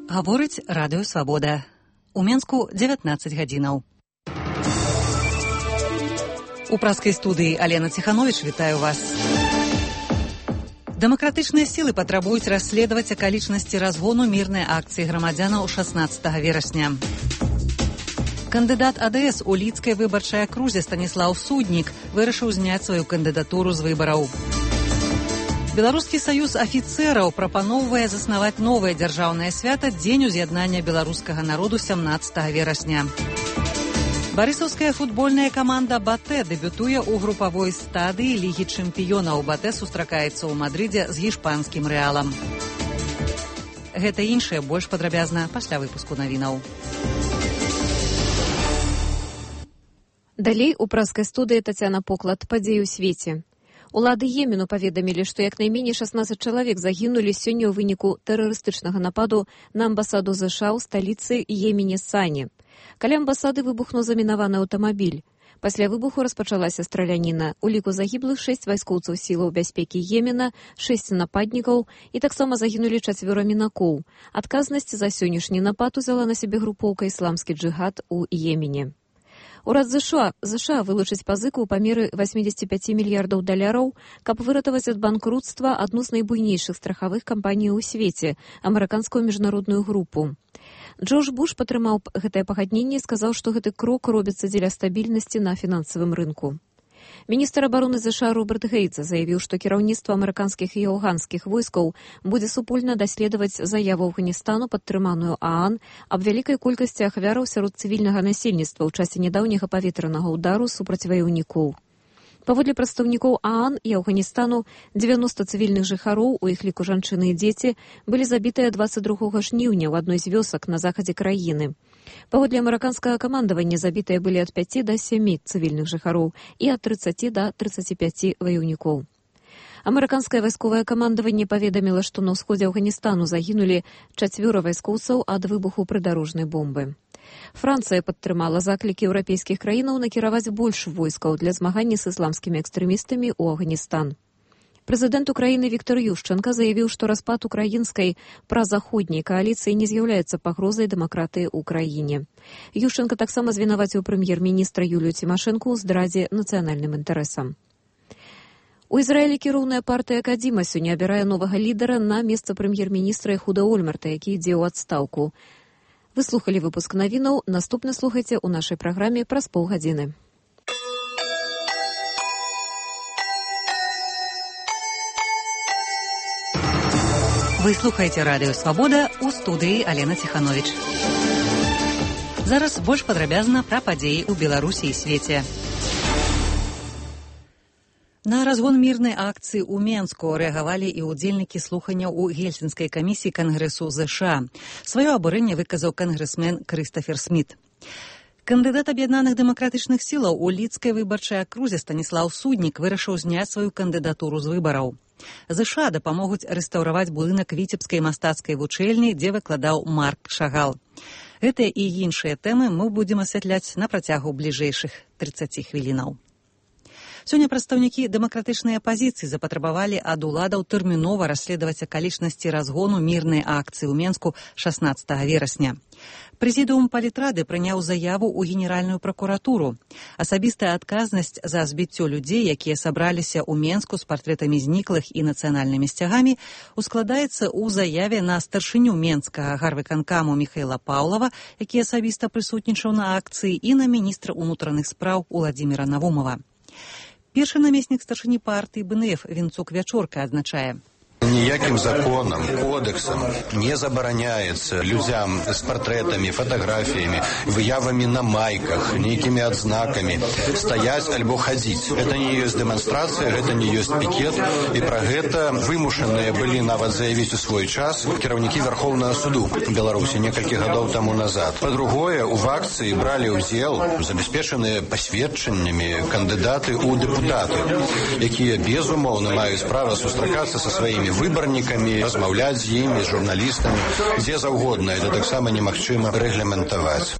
Гаворыць радыё «Свабода». У Менску 19 гадзінаў. У праскай студыі Алена Ціхановіч вітаю вас. Дэмакратычныя сілы патрабуюць расследаваць акалічнасці разгону мірнай акцыі грамадзянаў 16 верасня. Кандыдат АДС у лідскай выбарчай акрузе Станіслаў Суднік вырашыў зняць сваю кандыдатуру з выбараў. Беларускі саюз афіцэраў прапаноўвае заснаваць новае дзяржаўнае свята дзень уз'яднання беларускага народу 17 верасня. Барысаўская футбольная каманда «Батэ» дэбютуе ў групавой стадыі Лігі чэмпіёнаў. «Батэ» сустракаецца ў Мадрыдзе з гішпанскім «Рэалам». Гэта і іншае больш падрабязна пасля выпуску навінаў. Далей у праскай студыі Тацяна Поклад. Падзеі ў свеце. Улады Йемену паведамілі, што як найменей 16 чалавек загінулі сёння ў выніку тэрарыстычнага нападу на амбасаду ЗША ў сталіцы Йемене Сані. Каля амбасады выбухнуў замінаваны аўтамабіль. Пасля выбуху распачалася страляніна. У ліку загіблых 6 вайскоўцаў сілаў бяспекі Йемена, 6 нападнікаў і таксама загінулі 4 мінакоў. Адказнасць за сённяшні напад узяла на сябе групоўка «Ісламскі джыгад» у Йемене. Урад ЗША вылучыць пазыку ў памеры $85 мільярдаў, каб выратаваць ад банкруцтва адну з найбуйнейшых страхавых кампаній у свеце – амерыканскую міжнародную групу. Джордж Буш падтрымаў гэтае пагадненне і сказаў, што гэты крок робіцца дзеля стабільнасці на фінансавым рынку. Міністр абароны ЗША Роберт Гейтс заявіў, што кіраўніцтва амерыканскіх і афганскіх войскаў будзе супольна даследаваць заяву Афганістану, падтрыманую ААН, аб вялікай колькасці ахвяраў сярод цывільнага насельніцтва ў часе нядаўняга паветранага ўдару супраць ваяўнікоў. Паводле прадстаўнікоў ААН і Афганістану, 90 цывільных жыхароў, у іх ліку жанчыны і дзеці, былі забітыя 22 жніўня ў адной з вёсак на захадзе краіны. Паводле амерыканскага камандавання забітыя былі ад 5 да 7 цывільных жыхароў і ад 30 да 35 ваяўнікоў. Амерыканскае вайсковае камандаванне паведаміла, што на ўсходзе Афганістану загінулі 4 вайскоўцаў ад выбуху прыдарожнай бомбы. Францыя падтрымала заклікі еўрапейскіх краінаў накіраваць больш войскаў для змагання з ісламскімі экстрэмістамі ў Афганістан. Прэзідэнт Украіны Віктор Ющэнка заявіў, што распад украінскай празаходняй кааліцыі не з'яўляецца пагрозай дэмакратыі ў краіне. Ющэнка таксама звінаваціў прэм'ер-міністра Юлію Цімашэнку ў здрадзе нацыянальным інтарэсам. У Ізраілі кіроўная партыя Кадзіма сёння абірае новага лідара на месца прэм'ер-міністра Эхуда Ольмерта, які ідзе ў адстаўку. Вы слухалі выпуск навінаў, наступны слухайце ў нашай праграме праз паўгадзіны. Вы слухаеце радыё «Свабода», у студыі Алена Ціхановіч. Зараз больш падрабязна пра падзеі ў Беларусі і свеце. На разгон мірнай акцыі ў Менску рэагавалі і ўдзельнікі слуханняў у Гельсінскай камісіі Кангрэсу ЗША. Сваё абурэнне выказаў кангрэсмен Крыстафер Сміт. Кандыдат аб'яднаных дэмакратычных сілаў у лідскай выбарчай акрузе Станіслаў Суднік вырашыў зняць сваю кандыдатуру з выбараў. ЗША дапамогуць рэстаўраваць будынак віцебскай мастацкай вучэльні, дзе выкладаў Марк Шагал. Гэтыя і іншыя тэмы мы будзем асвятляць на працягу бліжэйшых 30 хвілінаў. Сёння прадстаўнікі дэмакратычнай апазіцыі запатрабавалі ад уладаў тэрмінова расследаваць акалічнасці разгону мірнай акцыі ў Менску 16 верасня. Прэзідыум палітрады прыняў заяву ў генеральную пракуратуру. Асабістая адказнасць за збіццё людзей, якія сабраліся ў Менску з партрэтамі зніклых і нацыянальнымі сцягамі, ускладаецца ў заяве на старшыню Менскага гарвыканкаму Міхаіла Паўлава, які асабіста прысутнічаў на акцыі, і на міністра ўнутраных спраў Уладзіміра Навумова. Першы намеснік старшыні партыі БНФ Вінцук Вячорка адзначае: Ніяким законом, кодексом не забороняется людям с портретами, фотографиями, выявами на майках, некими отзнаками стоять альбо ходить. Это не есть демонстрация, это не есть пикет. И про это вымушенные были нават заявить у свой час кіраўнікі Верховного суду Беларуси некалькіх гадоў тому назад. По-другое, у акции брали удзел забеспеченные посведчаннями кандидаты у депутаты, якія безумоўна маюць права сустракацца со своими выбарнікамі, размаўляць з імі, з журналістамі, дзе заўгодна. Это таксама немагчыма рэгламентаваць.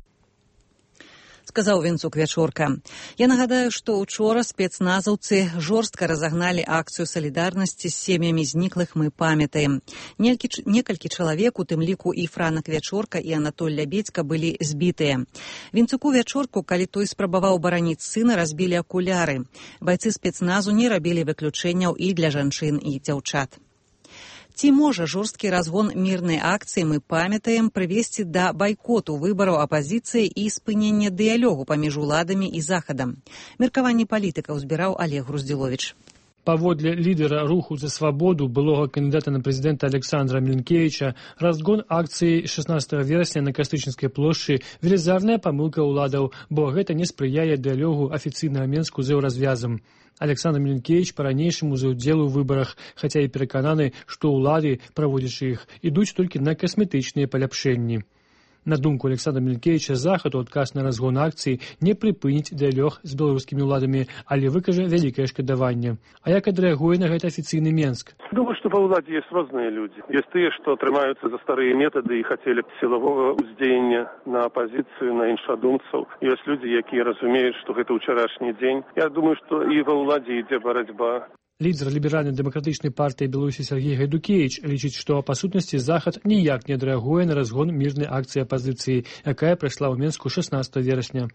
сказаў Вінцук Вячорка. Я нагадаю, што учора спецназаўцы жорстка разагналі акцыю салідарнасці з сем'ямі зніклых «Мы памятаем». Некалькі чалавек, у тым ліку і Франак Вячорка, і Анатоль Лябедзька, былі збітыя. Вінцуку Вячорку, калі той спрабаваў бараніць сына, разбілі акуляры. Байцы спецназу не рабілі выключэнняў і для жанчын і дзяўчат. Ці можа жорсткі разгон мірнай акцыі «Мы памятаем» прывесці да байкоту выбараў апазіцыі і спынення дыялогу паміж уладамі і захадам? Меркаванне палітыкаў збіраў Олег Груздзіловіч. Паводле лідера руху за свабоду, былога кандидата на президента Александра Мілінкевіча, разгон акцыі 16 верасня на Кастрычніцкай плошчы – велізарная памылка ўладаў, бо гэта не спрыяе дыялогу афіцыйнага Менску з еўразвязам. Александр Мілінкевіч па-ранейшаму за ўдзел у выбарах, хаця і перакананы, што ўлады, праводзячы іх, ідуць толькі на касметычныя паляпшэнні. На думку Александра Мілінкевіча, захад у адказ на разгон акцыі не прыпыніць дыялог з беларускімі ўладамі, але выкажа вялікае шкадаванне. А як адрэагуе на гэта афіцыйны Менск? Думаю, што ва ўладзе ёсць розныя людзі. Ёсць тыя, што трымаюцца за старыя метады і хацелі сілавога ўздзеяння на апазіцыю, на іншадумцаў. Ёсць людзі, якія разумеюць, што гэта ўчарашні дзень. Я думаю, што і ва ўладзе ідзе барацьба. Лідер ліберальна-дэмакратычнай партыі Беларусі Сергей Гайдукевіч лічыць, што па сутнасці захад ніяк не адрэагуе на разгон мірнай акцыі апазіцыі, якая прайшла ў Менску 16 верасня.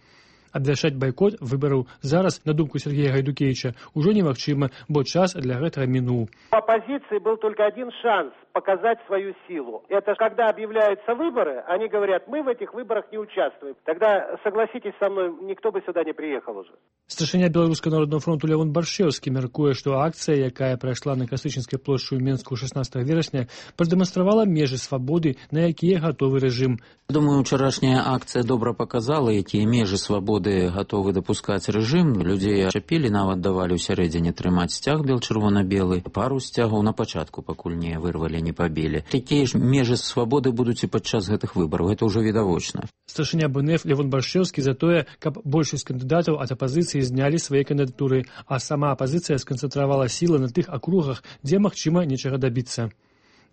Абвяшчаць байкот выбараў зараз, на думку Сергея Гайдукевича, уже немагчыма, бо час для гэтага мінуў. У оппозиции был только один шанс показать свою силу. Это когда объявляются выборы, они говорят, мы в этих выборах не участвуем. Тогда, согласитесь со мной, никто бы сюда не приехал уже. Старшыня Беларускага народнага фронту Лявон Баршэўскі мяркуе, што акцыя, якая прайшла на Кастрычніцкай плошчы ў Менску 16 верасня, прадэманстравала межы свабоды, на якія гатовы рэжым. Думаю, учарашняя акцыя добра показала, якія межы свабоды гатовы дапускаць рэжым. Людзей чапілі, нават давалі ў сярэдзіне трымаць сцяг бел-чырвона-белы. Пару сцягаў на пачатку, пакуль не вырвалі, не пабілі. Такія ж межы свабоды будуць і падчас гэтых выбараў. Гэта ўжо відавочна. Старшыня БНФ Лявон Баршэўскі за тое, каб большасць кандыдатаў ад апазіцыі знялі свае кандыдатуры, а сама апазіцыя сканцэнтравала сілы на тых акругах, дзе магчыма нечага дабіцца.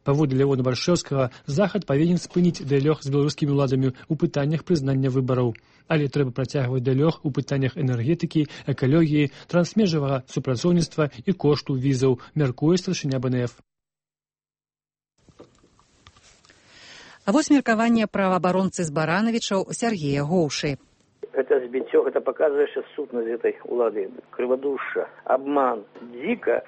Паводле Лявона Баршэўскага, захад павінен спыніць дыялог з беларускімі ўладамі ў пытаннях прызнання выбараў. Але трэба працягваць дыялог у пытаннях энергетыкі, экалогіі, трансмежавага супрацоўніцтва і кошту візаў, мяркуе старшыня БНФ. А вось меркаванне праваабаронцы з Баранавічаў Сергея Гоўшы. Это збіццё, это показывае сутнасць этой улады. Крывадушша, обман, дико,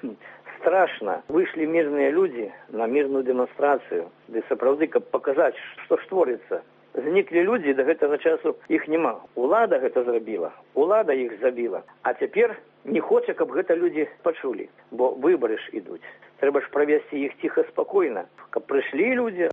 страшно. Вышли мирные люди на мирную демонстрацию, ды сапраўды, каб показать, что ж творится. Зніклі людзі, да гэтага часу іх няма. Улада гэта зрабіла, улада іх забіла. А цяпер не хоча, каб гэта людзі пачулі, бо выбары ж ідуць. Трэба ж правесці іх ціха, спакойна, каб прыйшлі людзі.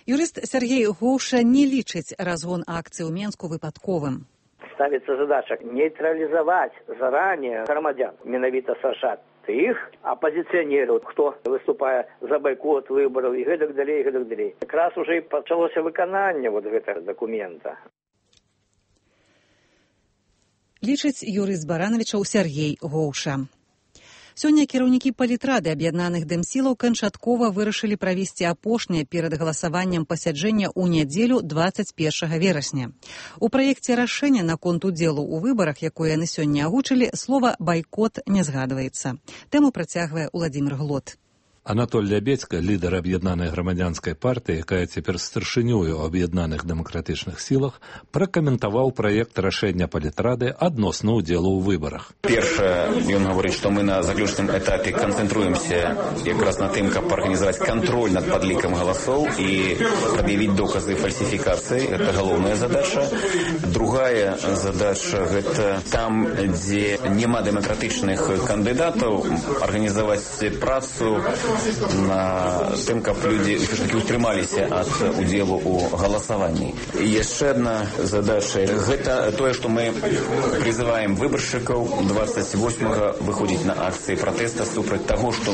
Юрыст Сергей Гоўша не лічыць разгон акцыі ў Менску выпадковым. Ставіцца задача нейтралізаваць заранее грамадзян, менавіта США, тых апозіцыянераў, хто выступае за байкот выбараў і гэтак далей, і гэтак далей. Якраз уже і пачалося выкананне гэтага дакумента. Лічыць юрыст Баранавічаў Сергей Гоўша. Сёння кіраўнікі палітрады аб'яднаных дэмсілаў канчаткова вырашылі правесці апошняе перад галасаваннем пасяджэння ў нядзелю 21 верасня. У праекце рашэння наконт удзелу ў выбарах, якое яны сёння агучылі, слова «байкот» не згадваецца. Тэму працягвае Уладзімір Глот. Анатоль Лябедзька, лідар аб'яднанай грамадзянскай партыі, якая цяпер старшынёю ў аб'яднаных дэмакратычных сілах, пракаментаваў праект рашэння палітрады адносна ўдзелу ў выбарах. Першае, ён гаворыць, што мы на заключным этапе канцэнтруемся якраз на тым, каб арганізаваць кантроль над падлікам галасоў і прад'явіць доказы фальсіфікацыі. Гэта галоўная задача. Другая задача – гэта там, дзе няма дэмакратычных кандыдатаў, арганізаваць працу на тым, каб людзі ўсё-такі ўтрымаліся ад удзелу ў галасаванні. І яшчэ адна задача – гэта тое, што мы призываем выбаршчыкаў 28-го выходзіць на акцыі пратэста супраць таго, што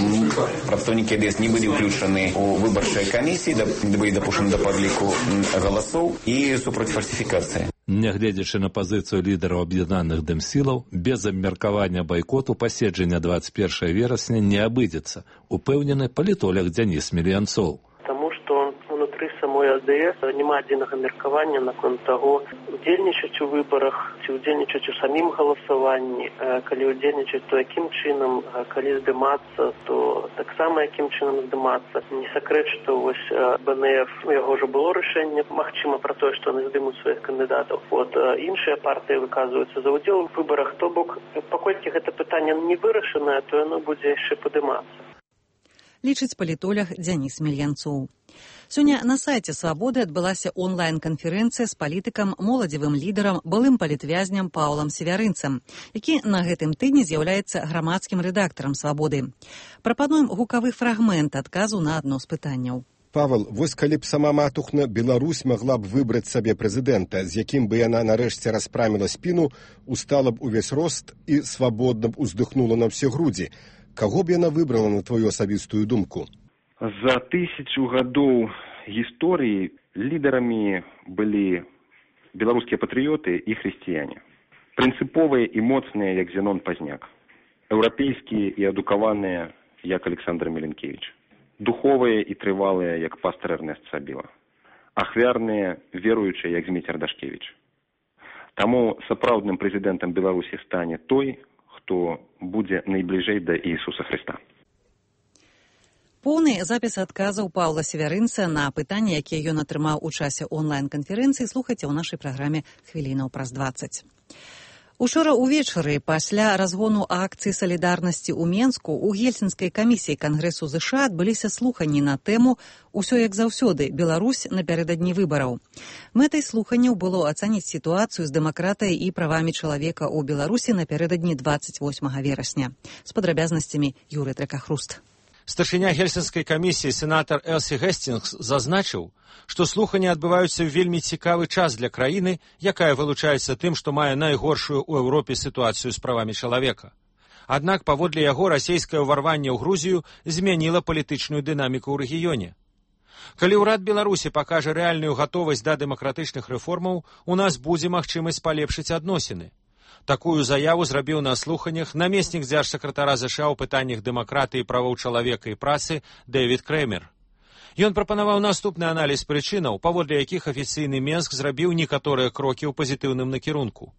прадстаўнікі АДС не былі ўключаны ў выбарчыя камісіі, не былі дапушчаны да падліку галасоў і супраць фальсіфікацыі. Нягледзячы на пазіцыю лідараў аб'яднаных дэмсілаў, без абмеркавання байкоту паседжання 21 верасня не абыдзецца, упэўнены палітолог Дзяніс Мільянцоў. Потому что внутри самой АДС няма адзінага меркавання наконт таго, удзельнічаць у выбарах, ці удзельнічаць у самім галасаванні, калі удзельнічаць, то якім чынам, калі здымацца, то таксама якім чынам здымацца. Не сакрэт, што вось БНФ, яго ўжо было рашэнне, магчыма пра тое, што яны здымуць сваіх кандыдатаў. Іншыя партыі выказваюцца за ўдзел у выбарах, то бок, паколькі гэта пытанне не вырашанае, то яно будзе яшчэ падымацца. Лічыць палітолог Дзяніс Мельянцоў. Сёння на сайце «Свабоды» адбылася онлайн-канферэнцыя з палітыкам, моладзевым лідарам, былым палітвязням Паўлам Севярынцам, які на гэтым тыдні з'яўляецца грамадскім рэдактарам «Свабоды». Прапануем гукавы фрагмент адказу на адно з пытанняў. Павел, вось калі б сама матухна Беларусь магла б выбраць сабе прэзідэнта, з якім бы яна нарэшце распраміла спіну, устала б увесь рост і свабодна б уздыхнула на ўсе грудзі, каго б яна выбрала на твою асабістую думку? За 1000 гадоў гісторыі лідарамі былі беларускія патрыёты і хрысціяне. Прынцыповыя і моцныя, як Зенон Пазняк. Еўрапейскія і адукаваныя, як Александр Міленкевіч. Духовыя і трывалыя, як пастар Эрнест Сабіла. Ахвярныя, веруючыя, як Зміцер Дашкевіч. Таму сапраўдным прэзідэнтам Беларусі стане той, хто будзе найбліжэй да Ісуса Хрыста. Поўны запіс адказаў Паўла Севярынца на пытанні, якія ён атрымаў у часе онлайн-канферэнцыі, слухайце ў нашай праграме «Хвілінаў праз 20». Учора ўвечары, пасля разгону акцыі салідарнасці ў Менску, у Гельсінскай камісіі Кангрэсу ЗША адбыліся слуханні на тэму «Усё як заўсёды. Беларусь напярэдадні выбараў». Мэтай слуханняў было ацаніць сітуацыю з дэмакратыяй і правамі чалавека ў Беларусі напярэдадні 28 верасня. З падрабязнасцямі Юрый Тракахруст. Старшыня Гельсінскай камісіі сенатар Элсі Гесцінгс зазначыў, што слуханні адбываюцца ў вельмі цікавы час для краіны, якая вылучаецца тым, што мае найгоршую ў Еўропе сітуацыю з правамі чалавека. Аднак, паводле яго, расійскае ўварванне ў Грузію змяніла палітычную дынаміку ў рэгіёне. Калі ўрад Беларусі пакажа рэальную гатовасць да дэмакратычных рэформаў, у нас будзе магчымасць палепшыць адносіны. Такую заяву зрабіў на слуханнях намеснік дзяржсакратара ЗША ў пытаннях дэмакратыі, правоў чалавека і працы Дэвід Крэмер. Ён прапанаваў наступны аналіз прычынаў, паводле якіх афіцыйны Менск зрабіў некаторыя крокі ў пазітыўным накірунку.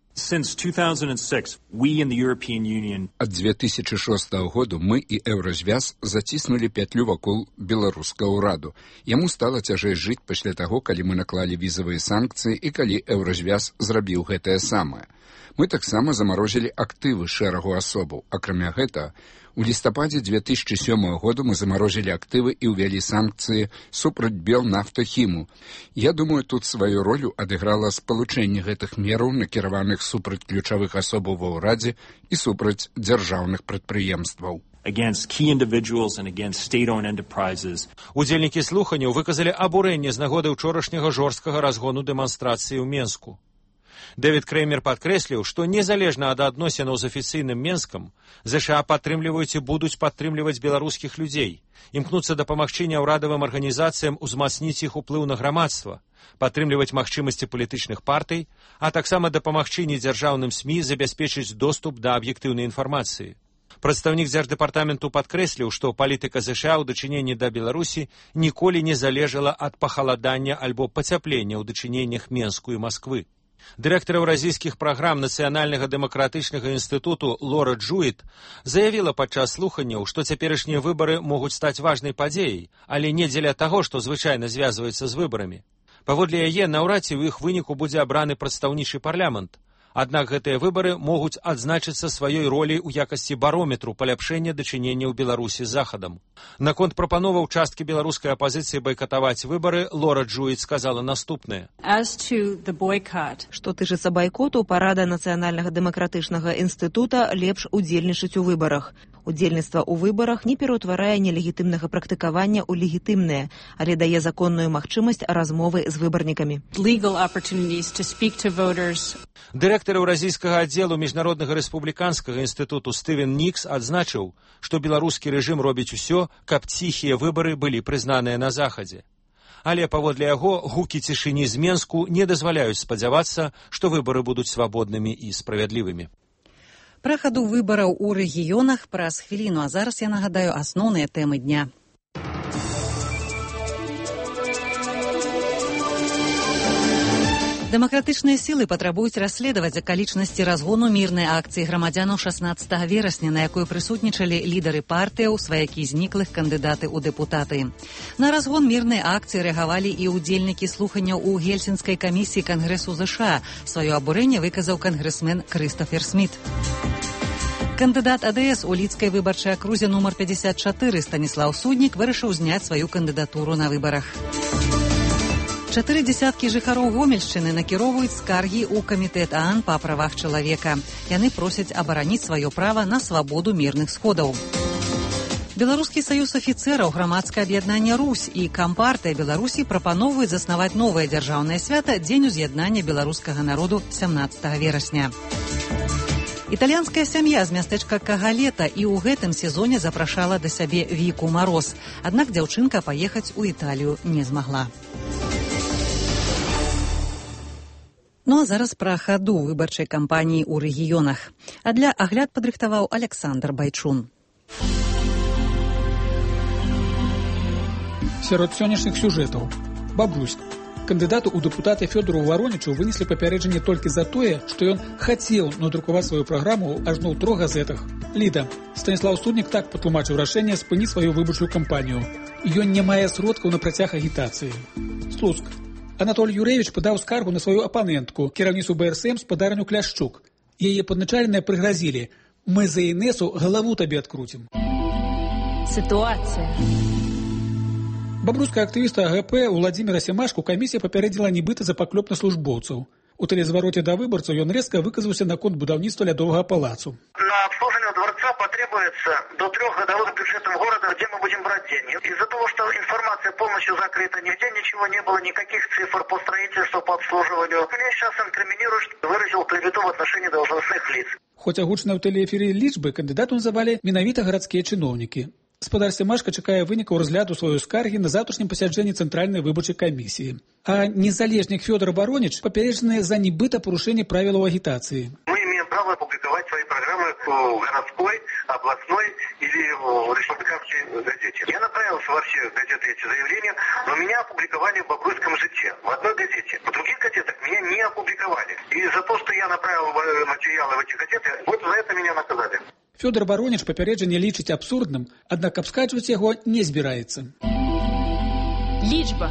Ад 2006 году мы і Еўразвяз заціснулі пятлю вакол беларускага ўраду. Яму стала цяжэй жыць пасля таго, калі мы наклалі візавыя санкцыі і калі Еўразвяз зрабіў гэтае самае. Мы таксама замарозілі актывы шэрагу асобаў. Акрамя гэтага, у лістападзе 2007 году мы замарозілі актывы і ўвялі санкцыі супраць Белнафтахіму. Я думаю, тут сваю ролю адыграла спалучэнне гэтых мераў, накіраваных супраць ключавых асобаў ва ўрадзе і супраць дзяржаўных прадпрыемстваў. Удзельнікі слуханняў выказалі абурэнне з нагоды ўчорашняга жорсткага разгону дэманстрацыі ў Менску. Дэвід Крэмер падкрэсліў, што незалежна ад адносінаў з афіцыйным Менскам, ЗША падтрымліваюць і будуць падтрымліваць беларускіх людзей, імкнуцца дапамагчы няўрадавым арганізацыям узмацніць іх уплыў на грамадства, падтрымліваць магчымасці палітычных партый, а таксама дапамагчы недзяржаўным СМІ забяспечыць доступ да аб'ектыўнай інфармацыі. Прадстаўнік дзярждэпартаменту падкрэсліў, што палітыка ЗША ў дачыненні да Беларусі ніколі не залежала ад пахаладання альбо пацяплення ў дачыненнях Менску і Масквы. Дырэктар еўразійскіх праграм Нацыянальнага дэмакратычнага інстытуту Лора Джуіт заявіла падчас слуханняў, што цяперашнія выбары могуць стаць важнай падзеяй, але не дзеля таго, што звычайна звязваецца з выбарамі. Паводле яе, наўрад ці ў іх выніку будзе абраны прадстаўнічы парламент. Аднак гэтыя выбары могуць адзначыцца сваёй ролей у якасці барометру паляпшэння дачынення ў Беларусі з Захадам. Наконт прапановаў часткі беларускай апазіцыі байкатаваць выбары, Лора Джуіт сказала наступнае. Што тычыцца байкоту, парада Нацыянальнага дэмакратычнага інстытута лепш удзельнічаць у выбарах. Удзельніцтва ў выбарах не пераўтварае нелегітымнага практыкавання ў легітымнае, але дае законную магчымасць размовы з выбарнікамі. Дырэктар еўразійскага аддзелу міжнароднага рэспубліканскага інстытуту Стывен Нікс адзначыў, што беларускі рэжым робіць усё, каб ціхія выбары былі прызнаныя на Захадзе. Але паводле яго гукі цішыні з Менску не дазваляюць спадзявацца, што выбары будуць свабоднымі і справядлівымі. Пра хаду выбараў у рэгіёнах праз хвіліну, а зараз я нагадаю асноўныя тэмы дня. Дэмакратычныя сілы патрабуюць расследаваць акалічнасці разгону мірнай акцыі грамадзянаў 16 верасня, на якой прысутнічалі лідары партыяў, сваякі зніклых, кандыдаты ў дэпутаты. На разгон мірнай акцыі рэагавалі і ўдзельнікі слуханняў у Гельсінскай камісіі Кангрэсу ЗША. Сваё абурэнне выказаў кангрэсмен Крыстафер Сміт. Кандыдат АДС у лідскай выбарчай акрузе нумар 54 Станіслаў Суднік вырашыў зняць сваю кандыдатуру на выбарах. 4 дзесяткі жыхароў Гомельшчыны накіроўваюць скаргі ў камітэт ААН па правах чалавека. Яны просяць абараніць сваё права на свабоду мірных сходаў. Беларускі саюз афіцэраў, грамадскае аб'яднанне «Русь» і Кампартыя Беларусі прапаноўваюць заснаваць новае дзяржаўнае свята Дзень уз'яднання беларускага народу 17 верасня. Італьянская сям'я з мястэчка Кагалета і ў гэтым сезоне запрашала да сябе Віку Мароз. Аднак дзяўчынка паехаць у Італію не змагла. Ну а зараз пра хаду выбарчай кампаніі ў рэгіёнах. А для агляд падрыхтаваў Александр Байчун. Сярод сённяшніх сюжэтаў. Бабруйск. Кандыдату ў дэпутаты Фёдору Варонічу вынеслі папярэджанне толькі за тое, што ён хацеў надрукаваць сваю праграму ажно ў 3 газетах. Ліда. Станіслаў Суднік так патлумачыў рашэнне спыніць сваю выбарчую кампанію. Ён не мае сродкаў на працяг агітацыі. Слуцк. Анатоль Юрэвіч падаў скаргу на сваю апанентку, кіраўніцу БРСМ спадарню Кляшчук. Яе падначаленыя прыгразілі: «Мы за Інесу галаву табе адкруцім». Сітуацыя. Бабруйскага актывіста АГП Уладзіміра Семашку камісія папярэдзіла нібыта за паклёп на службоўцаў. У тэлезвароце да выбарцаў ён рэзка выказаўся наконт будаўніцтва лядовага палацу. На обслуживание дворца потребуется до 3 годовых бюджетов города, где мы будем брать деньги. Из-за того, что информация полностью закрыта, нигде ничего не было, никаких цифр по строительству, по обслуживанию. Меня сейчас инкриминируют, что выразил клевету в отношении должностных лиц. Хоць агучаныя ў тэлеэфіры лічбы кандыдату называлі менавіта гарадскія чыноўнікі. Спадар Семашка чакае вынікаў разгляду сваёй скаргі на заўтрашнім пасяджэнні Цэнтральнай выбарчай камісіі. А незалежнік Фёдор Вароніч папярэджаны за нібыта парушэнне правілаў агітацыі. Мы имеем право опубликовать свои программы в городской, областной или в республиканской газете. Я направился во все газеты эти заявления, но меня опубликовали в Бобруйском житье, в одной газете. В других газетах меня не опубликовали. И за то, что я направил материалы в эти газеты, вот за это меня наказали. Фёдор Вароніч папярэджанне лічыць абсурдным, аднак абскарджваць яго не збіраецца. Лічба.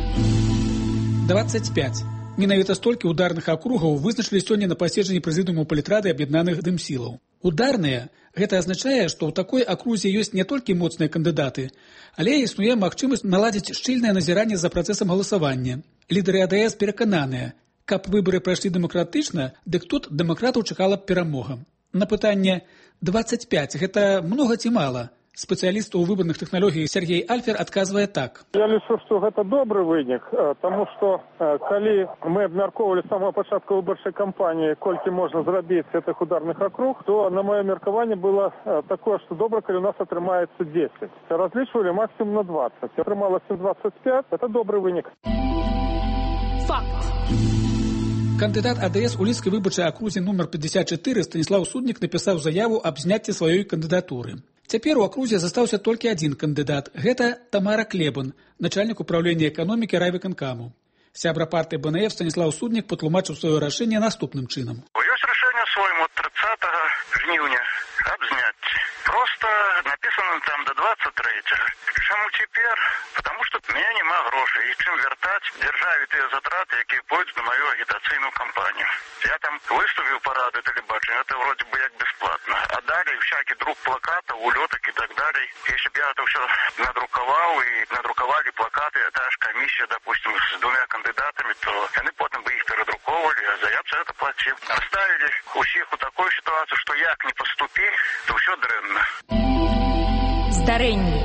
25. Менавіта столькі ударных акругаў вызначылі сёння на паседжанні прэзідыуму палітрады аб'яднаных дэмсілаў. Ударныя – гэта азначае, што ў такой акрузе ёсць не толькі моцныя кандыдаты, але існуе магчымасць наладзіць шчыльнае назіранне за працэсам галасавання. Лідары АДС перакананыя, каб выбары прайшлі дэмакратычна, дык тут дэмакратаў чакала б перамога. На пытанне 25 – гэта многа ці мала? Спецыяліст у выбарных тэхналогій Сергей Альфер адказвае так. Я лічу, што гэта добры вынік, таму што калі мы абмяркоўвалі з самого пачатку выбарчай кампаніі, колькі можна зрабіць гэтых ударных акруг, то на маё меркаванне было такое, што добра, калі у нас атрымаецца 10. Разлічвалі максимум на 20. Атрымалася 25, это добры вынік. Факт. Кандыдат АДС у лідскай выбарчай акрузе нумар 54 Станіслаў Суднік напісаў заяву аб зняцці сваёй кандыдатуры. Цяпер у акрузе застаўся толькі адзін кандыдат. Гэта Тамара Клебан, начальнік управлення эканомікі райвыканкаму. Сябра партыі БНФ Станіслаў Суднік патлумачыў сваё рашэнне наступным чынам. Ёсць рашэнне свойму 30 жніўня абзняць. Просто написано там до 23-го. Чаму цяпер? Потому что у меня нема грошай. І чым вяртаць дзяржаве тыя затраты, якія пойдуць на мою агітацыйную кампанію. Я там выставіў парады тэлебачання, это вроде бы як бесплатно. А далее всякий друк плакатов, улеток и так далее. Если бы я это все надрукаваў и надрукавали плакаты, та ж комиссия, допустим, с 2 кандидатами, то они потом бы их передруковывали, а за это платил. Оставили усіх у такой ситуации, что як не поступи, то все дрэнна. Здарэнне.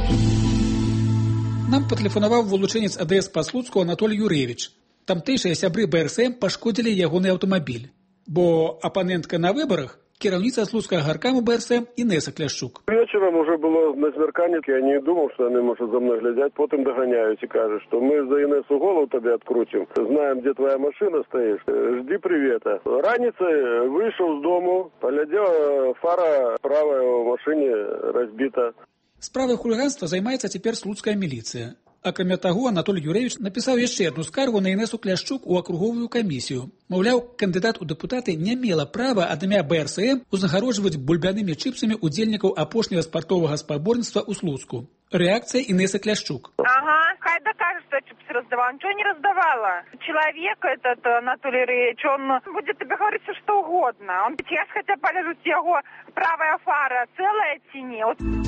Нам патэлефанаваў вылучэнец АДС па Слуцку Анатоль Юрэвіч. Тамтэйшыя сябры БРСМ пашкодзілі ягоны аўтамабіль, бо апанентка на выбарах кіраўніца слуцкага гаркаму БРСМ Інеса Кляшчук. Вечером уже было на змерканні, я не думал, что они, может, за мной глядят, потом догоняют и кажут, что мы за Инессу голову тебе открутим, знаем, где твоя машина стоит, жди привета. Раницей вышел с дому, поглядел, фара правая в машине разбита. Справай хуліганства займаецца цяпер слуцкая міліцыя. Акрамя таго, Анатолій Юревіч напісаў яшчэ адну скаргу на Інесу Кляшчук у акруговую камісію. Маўляў, кандыдат у дэпутаты не мела права ад імя БРСМ узнагароджваць бульбянымі чыпсамі удзельнікаў апошняга спартовага спаборніцтва ў Слуцку. Реакция Инессы Кляшчук. Ага, хай докажет, что чипсы раздавала. Ничего не раздавала. Человек этот, Анатолий Ильич, он будет тебе говорить все, что угодно. Он сейчас хотя полежит его правая фара целая тени.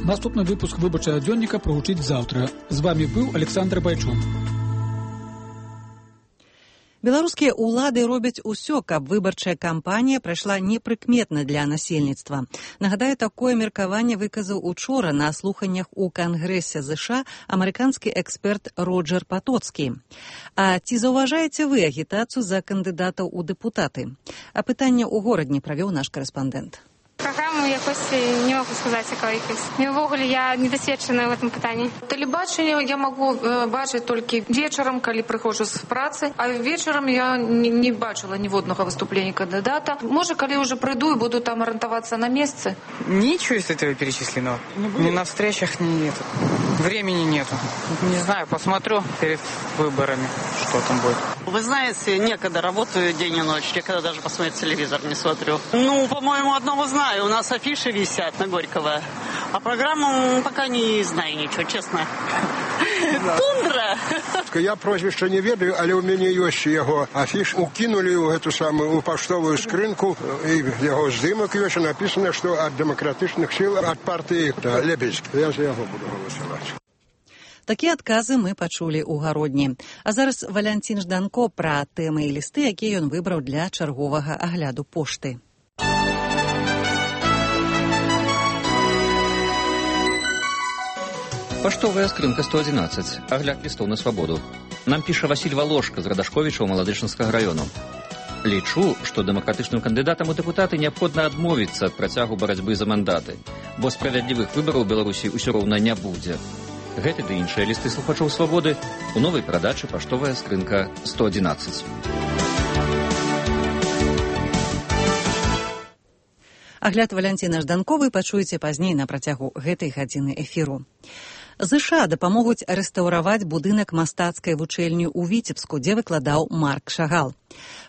Наступный выпуск выборчего дзённіка прагучыць завтра. З вами был Александр Байчун. Беларускія ўлады робяць усё, каб выбарчая кампанія прайшла непрыкметна для насельніцтва. Нагадаю, такое меркаванне выказаў учора на слуханнях у Кангрэсе ЗША амерыканскі эксперт Роджер Патоцкі. А ці заўважаеце вы агітацыю за кандыдатаў у дэпутаты? Апытанне ў горадні правёў наш корэспандэнт. Программу якось не могу сказать, яка якась. Ввогуле я недосвідчена в этом питанні. Телебачення я можу бачити тільки вечором, коли приходжу з праці, а вечором я не бачила ні одного виступлення кандидата. Може, коли вже прийду і буду там орієнтуватися на місце? Ничего из этого перечислено. Ни на встречах нет. Времени нету. Не знаю, посмотрю перед выборами, что там будет. Вы знаете, некогда работаю день и ночь, некогда даже посмотреть телевизор не смотрю. Ну, по-моему, одного знаю. У нас афиши висят на Горького. А программу пока не знаю ничего, честно. Тундра. Я прозвище не ведаю, але у мяне ёсць яго афіш. Укинули ў эту самую паштовую скрынку, і яго здымак ёсць, написано, што ад дэмакратычных сіл, ад партыі Лебедзь. Я за яго буду галасаваць. Такія адказы мы пачулі ў гародні. А зараз Валянцін Жданко пра тэмы і лісты, якія ён выбраў для чарговага агляду пошты. Паштовая скрынка 111. Агляд лістоў на свабоду. Нам піша Васіль Валошка з Радашковіча ў Маладычынскага раёну. Лічу, што дэмакратычным кандыдатам у дэпутаты неабходна адмовіцца ад працягу барацьбы за мандаты, бо справядлівых выбараў у Беларусі ўсё роўна не будзе. Гэты ды іншыя лісты слухачоў свабоды у новай прадачы паштовая скрынка 111. Агляд Валянціна Жданковай пачуеце пазней на працягу гэтай гадзіны эфіру. ЗША дапамогуць рэстаўраваць будынак мастацкай вучэльні ў Віцебску, дзе выкладаў Марк Шагал.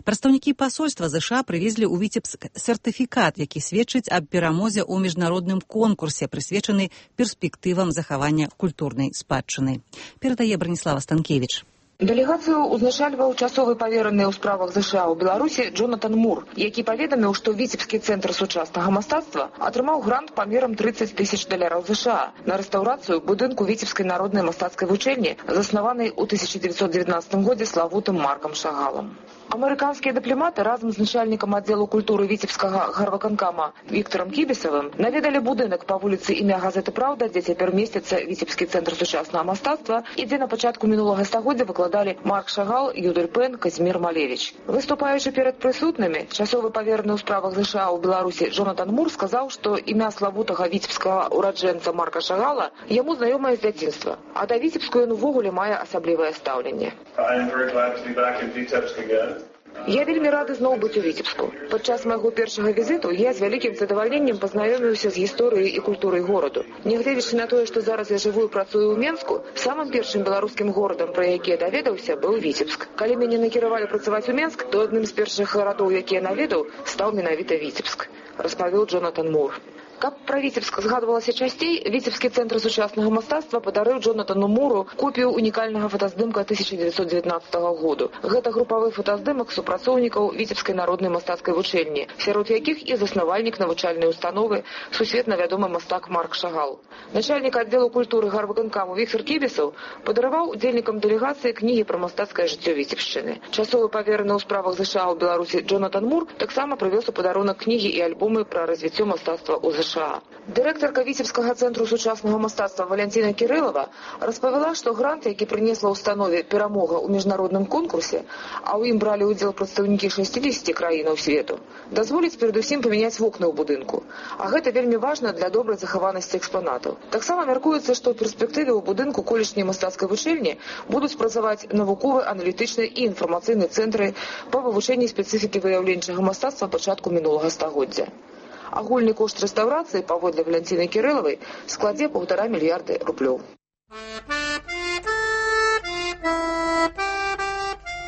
Прадстаўнікі пасольства ЗША прывезлі ў Віцебск сертыфікат, які сведчыць аб перамозе ў міжнародным конкурсе, прысвечаны перспектывам захавання культурнай спадчыны. Перадае Браніслава Станкевіч. Дэлегацыю ўзначальваў часовы павераны ў справах ЗША ў Беларусі Джонатан Мур, які паведаміў, што Віцебскі цэнтр сучаснага мастацтва атрымаў грант памерам $30 000 ЗША на рэстаўрацыю будынку Віцебскай народнай мастацкай вучэльні, заснаванай у 1919 годзе славутым Маркам Шагалам. Амерыканскія дыпламаты разам з начальнікам аддзелу культуры Віцебскага гарвыканкама Віктарам Кібісавым наведалі будынак па вуліцы імя газеты «Праўда», дзе цяпер месціцца Віцебскі цэнтр сучаснага мастацтва і дзе на пачатку мінулага стагоддзя выкладалі Марк Шагал, Юдэль Пен, Казімір Малевіч. Выступаючы перад прысутнымі, часовы павераны ў справах ЗША ў Беларусі Джонатан Мур сказаў, што імя славутага віцебскага ураджэнца Марка Шагала яму знаёмае з дзяцінства, а да Віцебску ён увогуле мае асаблівае стаўленне. Я вельмі рады зноў быць у Віцебску. Падчас майго першага візіту я з вялікім задавальненнем пазнаёміўся з гісторыяй і культурай гораду. Нягледзячы на тое, што зараз я жыву і працую ў Менску, самым першым беларускім горадам, пра які я даведаўся, быў Віцебск. Калі мяне накіравалі працаваць у Менск, то адным з першых гарадоў, які я наведаў, стаў менавіта Віцебск, распавёў Джонатан Мур. Каб пра Віцебск згадвалася часцей, Віцебскі цэнтр сучаснага мастацтва падарыў Джонатану Муру копію унікальнага фотаздымка 1919 году. Гэта групавы фотаздымак супрацоўнікаў Віцебскай народнай мастацкай вучэльні, сярод якіх і заснавальнік навучальнай установы, сусветна вядомы мастак Марк Шагал. Начальнік аддзелу культуры гарвыканкаму Віктар Кібісаў падараваў удзельнікам дэлегацыі кнігі пра мастацкае жыццё Віцебшчыны. Часовы павераны ў справах ЗША ў Беларусі Джонатан Мур таксама прывёз у падарунак кнігі і альбомы пра развіццё мастацтва ў ЗША. Дырэктарка Віцебскага цэнтру сучаснага мастацтва Валянціна Кірылава распавяла, што грант, які прынесла ўстанове перамога ў міжнародным конкурсе, а ў ім бралі ўдзел прадстаўнікі 60 краінаў свету, дазволіць перадусім памяняць вокны ў будынку. А гэта вельмі важна для добрай захаванасці экспанатаў. Таксама мяркуецца, што ў перспектыве ў будынку колішняй мастацкай вучэльні будуць працаваць навуковы, аналітычны і інфармацыйны цэнтры па вывучэнні спецыфікі выяўленчага мастацтва пачатку мінулага стагоддзя. Агульны кошт рэстаўрацыі, паводле Валянціны Кірылавай, складзе 1,5 мільярда рублёў.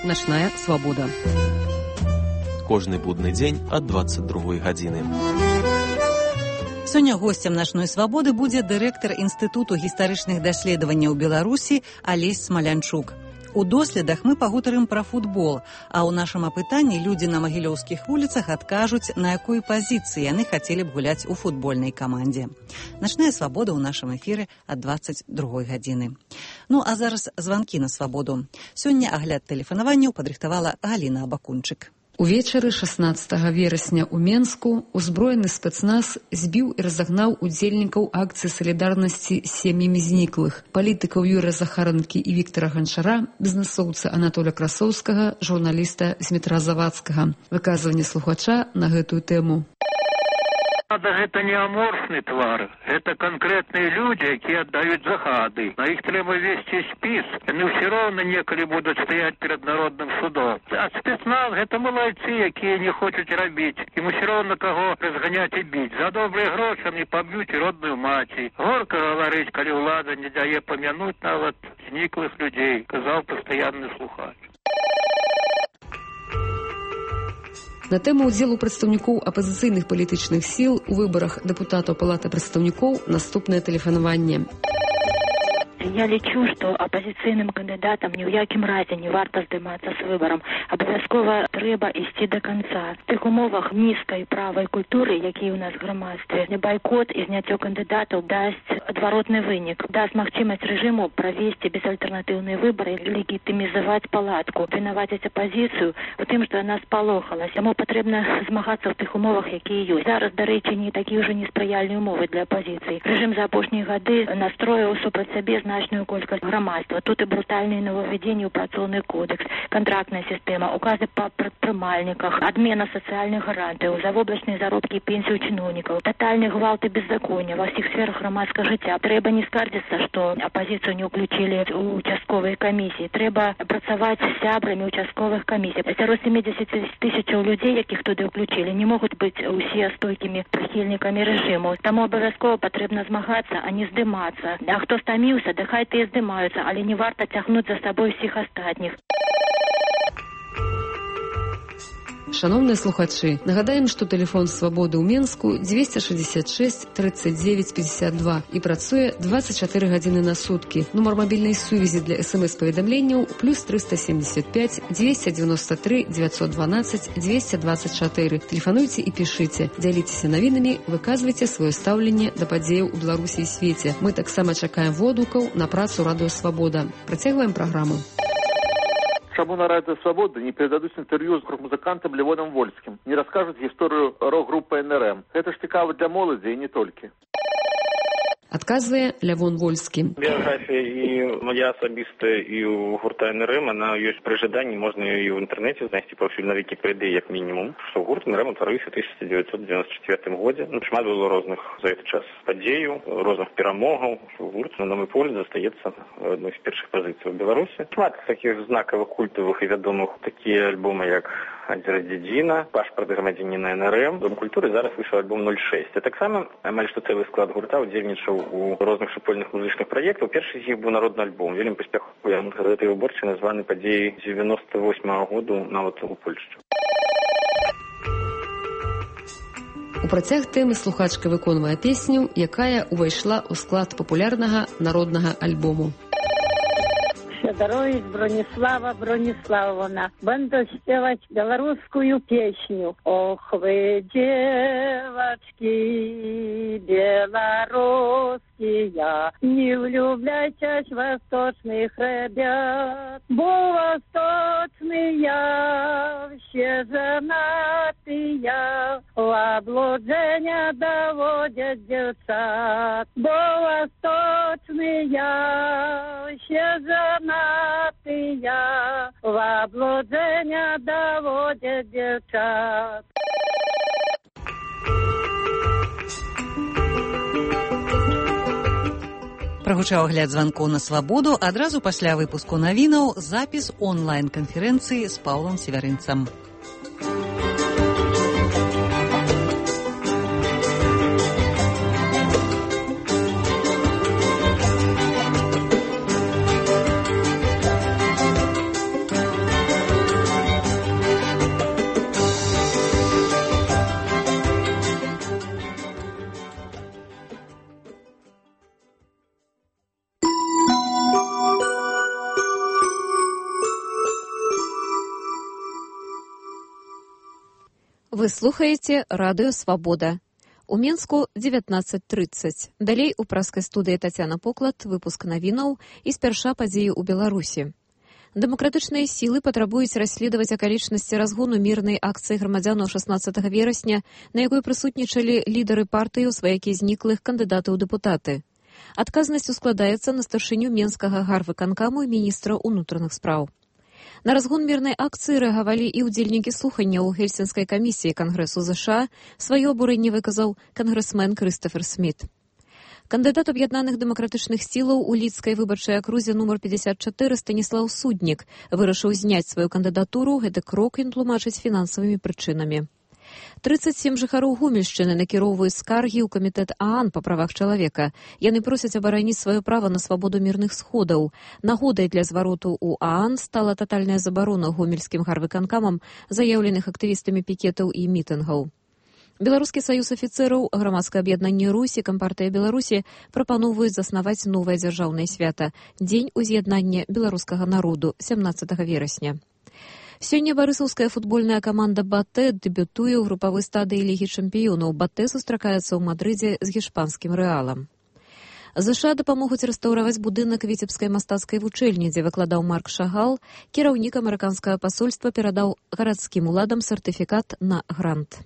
«Начная свабода». Кожны будны дзень ад 22 гадзіны. Сёння госцем «Начной свабоды» будзе дырэктар Інстытуту гістарычных даследаванняў Беларусі Алесь Смалянчук. У доследах мы пагутарым пра футбол, а ў нашым апытанні людзі на магілёўскіх вуліцах адкажуць, на якой пазіцыі яны хацелі б гуляць у футбольнай камандзе. «Начная свабода» ў нашым эфіры ад 22 гадзіны. Ну, а зараз званкі на свабоду. Сёння агляд тэлефанаванняў падрыхтавала Галіна Абакунчык. Увечары 16 верасня ў Менску узброены спецназ збіў і разагнаў удзельнікаў акцыі салідарнасці з сем'ямі зніклых, палітыкаў Юрыя Захаранкі і Віктара Ганчара, бізнесоўца Анатоля Красоўскага, журналіста Змітра Завадскага. Выказванне слухача на гэтую тэму. Гэта не аморфны твар, гэта канкрэтныя людзі, якія аддаюць загады. На іх трэба весці спіс, яны ўсё роўна некалі будуць стаяць перад народным судом. А спецназ гэта малайцы, якія не хочуць рабіць. Ім усё роўна каго разганяць і біць. За добрыя грошы не паб'юць родную маці. Горка гаварыць, калі ўлада не дае памянуць нават зніклых людзей, казаў пастаянны слухач. На тэму ўдзелу прадстаўнікоў апазіцыйных палітычных сіл у выбарах дэпутатаў Палаты прадстаўнікоў наступнае тэлефанаванне. Я лічу, што апазіцыйным кандыдатам ні ў якім разе не варта здымацца з выбарам. Абавязкова трэба ісці да канца. В тых умовах нізкай правай культуры, якія ў нас в грамадстве, байкот і зняццё кандыдатаў дасць адваротны вынік. Даст магчымасць рэжыму правесці безальтэрнатыўныя выбары, легітымізаваць палатку, вінаваціць апазіцыю у тым, што яна спалохалась. Яму патрэбна змагацца ў тых умовах, якія ёсць. Зараз, дарэчы, не такі ўжо неспрыяльныя умовы для апазіцыі. Рэжым за апошнія гады настроіў супраць сабе значную колькасць грамадства. Тут і брутальныя нововведзенні ў працоўны кодекс, контрактная сістэма, указы па прадпрымальніках, адмена сацыяльных гарантыяў, завоблачныя заробкі і пенсію чыноўнікаў, татальны гвалт і беззаконня ва ўсіх сферах грамадскага жыцця. Трэба не скардзіцца, што апазіцыю не ўключылі ў участковыя камісіі. Трэба працаваць з сябрамі участковых камісій. Сярод 70 тысячаў людзей, якіх туды ўключылі, не могуць быць усе стойкімі прыхільнікамі рэжыму. Таму абавязкова патрэбна змагацца, а не здымацца. А хто стаміўся, да хай тыя здымаюцца, але не варта цягнуць за сабой усіх астатніх. Шановныя слухачы, нагадаем, што тэлефон свабоды ў Менску 266 39 52 і працуе 24 гадзіны на суткі. Нумар мабільнай сувязі для СМС-паведамленняў плюс 375 293 912 224. Тэлефануйце і пішыце, дзяліцеся навінамі, выказвайце сваё стаўленне да падзеяў у Беларусі і свеце. Мы таксама чакаем водгукаў на працу Радыё Свабода. Працягваем праграму. Чаму на Радио Свобода не передадуць інтэрв'ю з рок-музыкантам Левоном Вольскім, не раскажуць гісторыю рок-групы НРМ. Гэта ж цікава для моладзі і не толькі. Адказвае Лявон Вольскі. Біяграфія і моя асабістая і у гурта НРМ, она ёсць пры жаданні, можна і ў інтэрнэце знайсці паўсюль на Вікіпедыі як мінімум, што гурт НРМ утварыўся ў 1994 годзе. Шмат было розных за гэты час падзеяў, розных перамогаў. Гурт, на мой погляд, застаецца адной з першых пазіцый у Беларусі. Шмат такіх знакавых, культавых і вядомых такія альбомы, як «Адзіра дзедзіна», «Пашпарт грамадзяніна НРМ». Дом культуры зараз выйшаў альбом 06. А таксама амаль што цэлы склад гурта удзельнічаў у розных супольных музычных праектаў. Першы з іх быў народны альбом. Вельмі паспяховы. Гэтай выборчай названы падзеяй 98-го году нават у Польшчы. У працяг тэмы слухачка выконвае песню, якая ўвайшла ў склад папулярнага народнага альбому. Федорович Бронислава Брониславовна. Буду спевать белорусскую песню. Ох вы, девочки белорусские, не влюбляйтесь в восточных ребят, бо восточные все женатые, в облужение доводят девчат, бо восточные все женатые, в облужение доводят девчат. Прагучаў агляд званкоў на свабоду. Адразу пасля выпуску навінаў запіс онлайн-канферэнцыі з Паўлам Севярынцам. Вы слухаеце радыё «Свабода». У Менску 19:30. Далей у праскай студыі Тацяна Поклад, выпуск навінаў і спярша падзеі ў Беларусі. Дэмакратычныя сілы патрабуюць расследаваць акалічнасці разгону мірнай акцыі грамадзянаў 16 верасня, на якой прысутнічалі лідары партыі, сваякі зніклых кандыдатаў у дэпутаты. Адказнасць ускладаецца на старшыню Менскага гарвыканкаму і міністра ўнутраных спраў. На разгон мірнай акцыі рэагавалі і ўдзельнікі слухання ў Гельсінскай камісіі Кангрэсу ЗША. Сваё абурэнне выказаў кангрэсмен Крыстафер Сміт. Кандыдат аб'яднаных дэмакратычных сілаў у лідскай выбарчай акрузе нумар 54 Станіслаў Суднік вырашыў зняць сваю кандыдатуру. Гэты крок ён тлумачыць фінансавымі прычынамі. 37 жыхароў Гомельшчыны накіроўваюць скаргі ў камітэт ААН па правах чалавека. Яны просяць абараніць сваё права на свабоду мірных сходаў. Нагодай для звароту ў ААН стала татальная забарона гомельскім гарвыканкамам заяўленых актывістамі пікетаў і мітынгаў. Беларускі саюз афіцэраў, грамадскае аб'яднанне Русь і Кампартыя Беларусі прапаноўваюць заснаваць новае дзяржаўнае свята – Дзень уз'яднання беларускага народу 17 верасня. Сёння барысаўская футбольная каманда «Батэ» дэбютуе ў групавой стадыі Лігі чэмпіёнаў. «Батэ» сустракаецца ў Мадрыдзе з гішпанскім «Рэалам». ЗША дапамогуць рэстаўраваць будынак віцебскай мастацкай вучэльні, дзе выкладаў Марк Шагал. Кіраўнік амерыканскага пасольства перадаў гарадскім уладам сертыфікат на грант.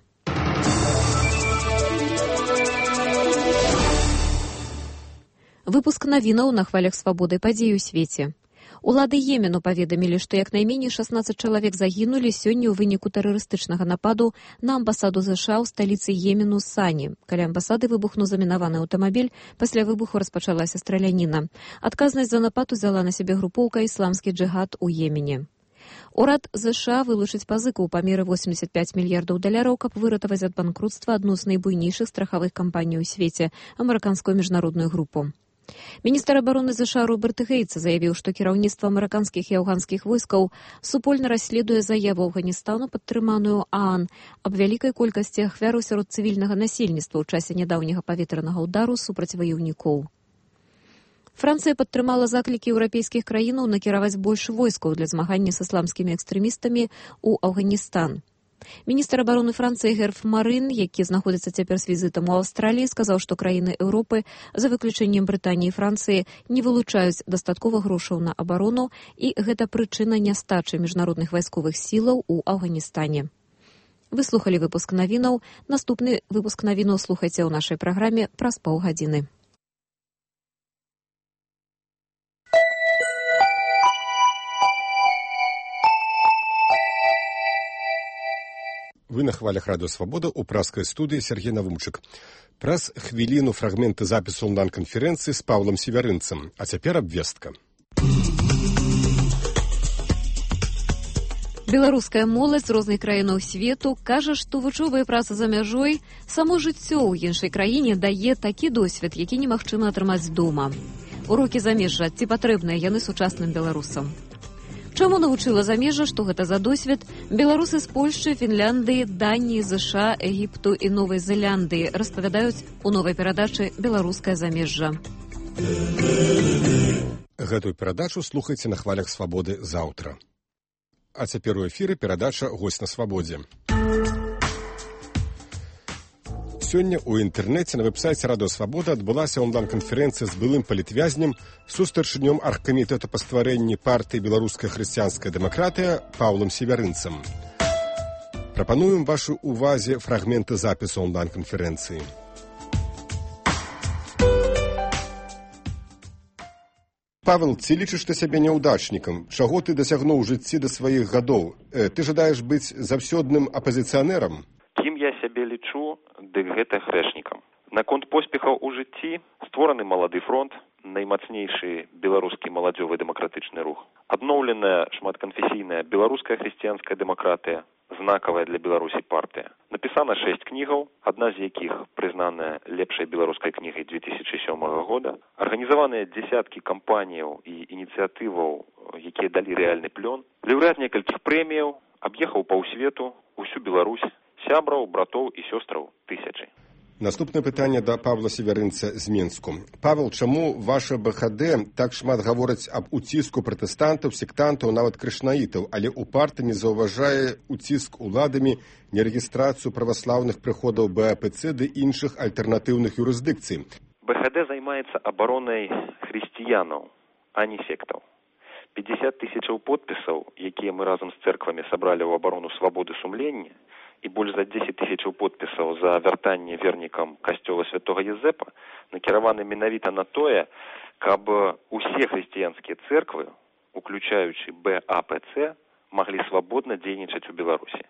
Выпуск навінаў на хвалях свабоды падзей у свеце. Улады Йемену паведамілі, што як найменей 16 чалавек загінулі сёння ў выніку тэрарыстычнага нападу на амбасаду ЗША ў сталіцы Йемену Сані. Каля амбасады выбухнуў замінаваны аўтамабіль, пасля выбуху распачалася страляніна. Адказнасць за напад узяла на сябе групоўка «Ісламскі джыгад» у Йемене. Урад ЗША вылучыць пазыку ў памеры $85 мільярдаў, каб выратаваць ад банкрутства адну з найбуйнейшых страхавых кампаній у свеце – амерыканскую міжнародную групу. Міністр абароны ЗША Роберт Гейтс заявіў, што кіраўніцтва амерыканскіх і афганскіх войскаў супольна расследуе заяву Афганістану, падтрыманую ААН, аб вялікай колькасці ахвяр сярод цывільнага насельніцтва ў часе нядаўняга паветранага ўдару супраць ваёўнікоў. Францыя падтрымала заклікі еўрапейскіх краінаў накіраваць больш войскаў для змагання з ісламскімі экстрэмістамі ў Афганістан. Міністр абароны Францыі Герф Марын, які знаходзіцца цяпер з візітам у Аўстраліі, сказаў, што краіны Еўропы, за выключэннем Брытаніі і Францыі, не вылучаюць дастаткова грошаў на абарону, і гэта прычына нястачы міжнародных вайсковых сілаў у Афганістане. Вы слухалі выпуск навінаў. Наступны выпуск навінаў слухайце ў нашай праграме праз паўгадзіны. Вы на хвалях радыё «Свабода» ў праскай студыі Сергей Навумчык. Праз хвіліну фрагменты запісу онлайн-канферэнцыі з Паўлам Севярынцам. А цяпер абвестка. Беларуская моладзь з розных краінаў свету кажа, што вучоба і праца за мяжой, само жыццё ў іншай краіне дае такі досвед, які немагчыма атрымаць дома. Урокі замежжа, ці патрэбныя яны сучасным беларусам? Чаму навучыла замежжа, што гэта за досвед? Беларусы з Польшчы, Фінляндыі, Даніі, ЗША, Егіпту і Новай Зеландыі распавядаюць у новай перадачы «Беларускае замежжа». Гэтую перадачу слухайце на хвалях свабоды заўтра. А цяпер у эфіры перадача «Госць на свабодзе». Сёння ў інтэрнэце на вэб-сайце радыё «Свабода» адбылася онлайн-канферэнцыя з былым палітвязнем, сустарчынём аргкамітэта па стварэнні партыі «Беларуская хрысціянская дэмакратыя» Паўлам Севярынцам. Прапануем вашу увазе фрагменты запісу онлайн-канферэнцыі. Павел, ці лічыш ты сябе няўдачнікам? Чаго ты дасягнуў у жыцці да сваіх гадоў? Ты жадаеш быць заўсёдным апазіцыянерам? Кім я сябе лічу, дык гэта грэшнікам. Наконт поспехаў у жыцці створаны малады фронт, наймацнейшы беларускі маладзёвы дэмакратычны рух. Адноўленая шматканфесійная беларуская хрысціянская дэмакратыя, знакавая для Беларусі партыя. Напісана 6 кнігаў, адна з якіх прызнаная лепшай беларускай кнігай 2007 года. Арганізаваныя дзесяткі кампаніяў і ініцыятываў, якія далі рэальны плён. Лаўрэат некалькіх прэміяў, аб'ехаў паўсвету, усю Беларусь, сябраў, братоў і сёстраў тысячы. Наступнае пытанне да Павла Севярынца з Менску. Павел, чаму ваша БХД так шмат гаворыць аб уціску пратэстантаў, сектантаў, нават крышнаітаў, але упарта не заўважае уціск уладамі, нерэгістрацыю праваслаўных прыходаў БАПЦ ды іншых альтэрнатыўных юрысдыкцый? БХД займаецца абаронай хрысціянаў, а не сектаў. 50 тысячаў подпісаў, якія мы разам з цэрквамі сабралі ў абарону свабоды сумлення, і больш за 10 тысячаў подпісаў за вяртанне вернікам касцёла святога Езэпа накіраваны менавіта на тое, каб усе хрысціянскія цэрквы, уключаючы БАПЦ, маглі свабодна дзейнічаць у Беларусі.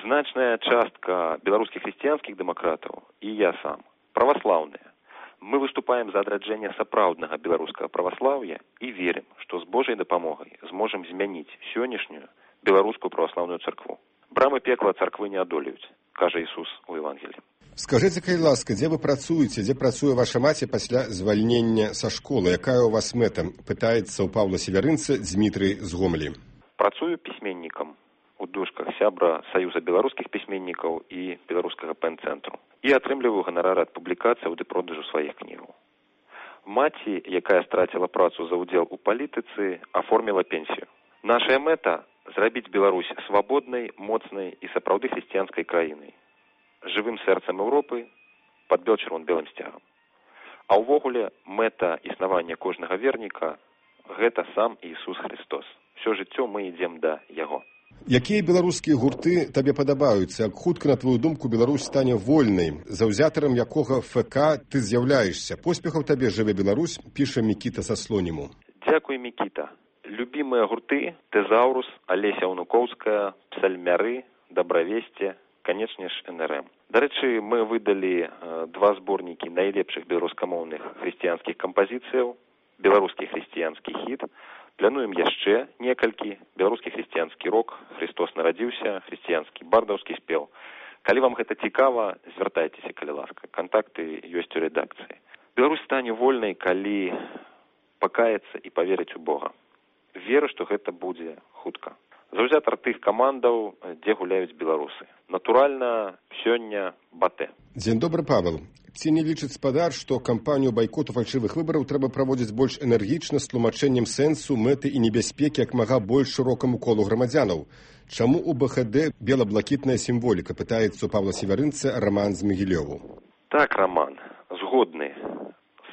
Значная частка беларускіх хрысціянскіх дэмакратаў, і я сам, праваслаўныя. Мы выступаем за адраджэнне сапраўднага беларускага праваслаўя і верым, што з Божай дапамогай зможам змяніць сённяшнюю беларускую праваслаўную царкву. Брамы пекла царквы не адолеюць, кажа Ісус у Евангеліі. Скажыце, калі ласка, дзе вы працуеце, дзе працуе ваша маці пасля звальнення са школы? Якая ў вас мэта? Пытаецца ў Павла Севярынца Дзмітрый з Гомлі. Працую пісьменнікам у дужках сябра Саюза беларускіх пісьменнікаў і беларускага пэн-цэнтру. І атрымліваю ганарары ад публікацыяў ды продажу сваіх кнігаў. Маці, якая страціла працу за ўдзел у палітыцы, аформіла пенсію. Нашая мэта – зрабіць Беларусь свабоднай, моцнай і сапраўды хрысціянскай краінай. Жывым сэрцам Еўропы пад чырвона-белым сцягам. А ўвогуле мэта існавання кожнага верніка – гэта сам Ісус Христос. Всё жыццё мы ідзем да Яго. Якія беларускія гурты табе падабаюцца? Як хутка, на твою думку, Беларусь стане вольнай, заўзятарам якога ФК ты з'яўляешся? Поспехаў табе, жыве Беларусь, піша Мікіта са Слоніму. Дзякуй, Мікіта. Любімыя гурты – Тэзаўрус, Алеся Унукоўская, Псальмяры, Дабравесце, канечне ж, НРМ. Дарэчы, мы выдалі 2 зборнікі найлепшых беларускамоўных хрысціянскіх кампазіцыяў, беларускі хрысціянскі хіт. Плануем яшчэ некалькі, беларускі хрысціянскі рок, Христос нарадзіўся, хрысціянскі бардаўскі спеў. Калі вам гэта цікава, звяртайцеся, калі ласка. Кантакты ёсць у рэдакцыі. Беларусь стане вольнай, калі пакаецца і паверыць у Бога. Веру, што гэта будзе хутка. Заўзятар тых камандаў, дзе гуляюць беларусы. Натуральна, сёння Батэ. Дзень добры, Павел. Ці не лічыць спадар, што кампанію байкоту фальшывых выбараў трэба праводзіць больш энергічна з тлумачэннем сэнсу, мэты і небяспекі як мага больш шырокаму колу грамадзянаў? Чаму у БХД бела-блакітная сімволіка, пытаецца у Павла Севярынца Роман з Мігілёву. Так, Роман, згодны.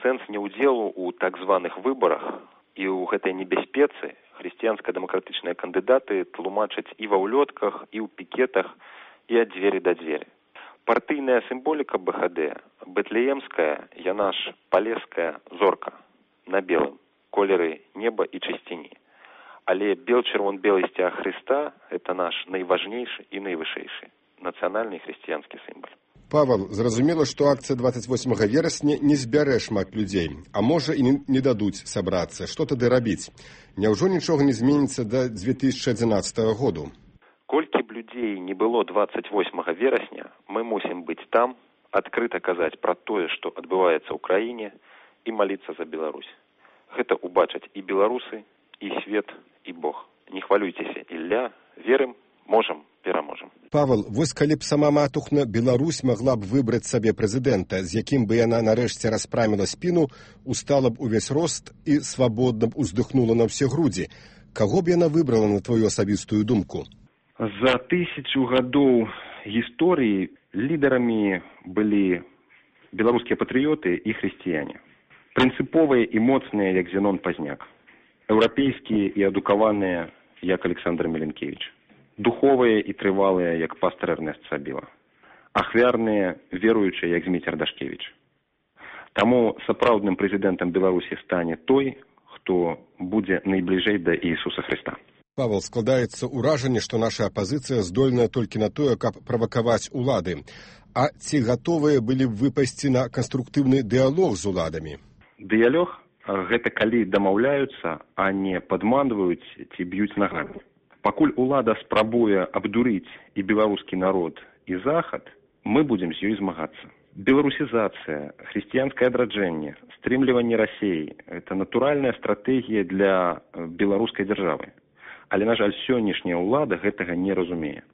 Сэнс неўдзелу ў так званых выбарах і ў гэтай небяспецы хрысціянска-дэмакратычныя кандыдаты тлумачаць і ва ўлётках, і ў пікетах, і ад дзвері да дзвері. Партыйная сімволіка БХД, бэтлеемская, яна ж палеская зорка на белым, колеры неба і чысціні. Але бел-чырвон-белы сцяг Хрыста – гэта наш найважнейшы і найвышэйшы нацыянальны хрысціянскі сімвал. Павел, зразумела, што акцыя 28 верасня не збярэ шмат людзей, а можа і не дадуць сабрацца. Што тады рабіць? Няўжо нічога не зменіцца да 2011 году? Колькі б людзей не было 28 верасня, мы мусім быць там, адкрыта казаць пра тое, што адбываецца ў краіне, і маліцца за Беларусь. Гэта убачаць і беларусы, і свет, і Бог. Не хвалюйцеся, Ілля, верым, можам, пераможам. Павел, вось калі б сама матухна Беларусь магла б выбраць сабе прэзідэнта, з якім бы яна нарэшце распраміла спіну, устала б увесь рост і свабодна б уздыхнула на ўсе грудзі. Каго б яна выбрала, на твою асабістую думку? За 1000 гадоў гісторыі лідарамі былі беларускія патрыёты і хрысціяне. Прынцыповыя і моцныя, як Зенон Пазняк. Еўрапейскія і адукаваныя, як Александр Меленкевич. Духовыя і трывалыя, як пастор Эрнест Сабіла. Ахвярныя, веруючыя, як Зміцер Дашкевіч. Таму сапраўдным прэзідэнтам Беларусі стане той, хто будзе найбліжэй да Ісуса Хрыста. Павел, складаецца ўражанне, што наша апазіцыя здольная толькі на тое, каб правакаваць улады. А ці гатовыя былі б выпасці на канструктыўны дыялог з уладамі? Дыялог – гэта калі дамаўляюцца, а не падманваюць ці б'юць нагамі. Пакуль улада спрабуе абдурыць і беларускі народ, і захад, мы будзем з ёй змагацца. Беларусізацыя, хрысціянскае адраджэнне, стрымліванне Расіі – гэта натуральная стратэгія для беларускай дзяржавы. Але, на жаль, сённяшняя ўлада гэтага не разумее.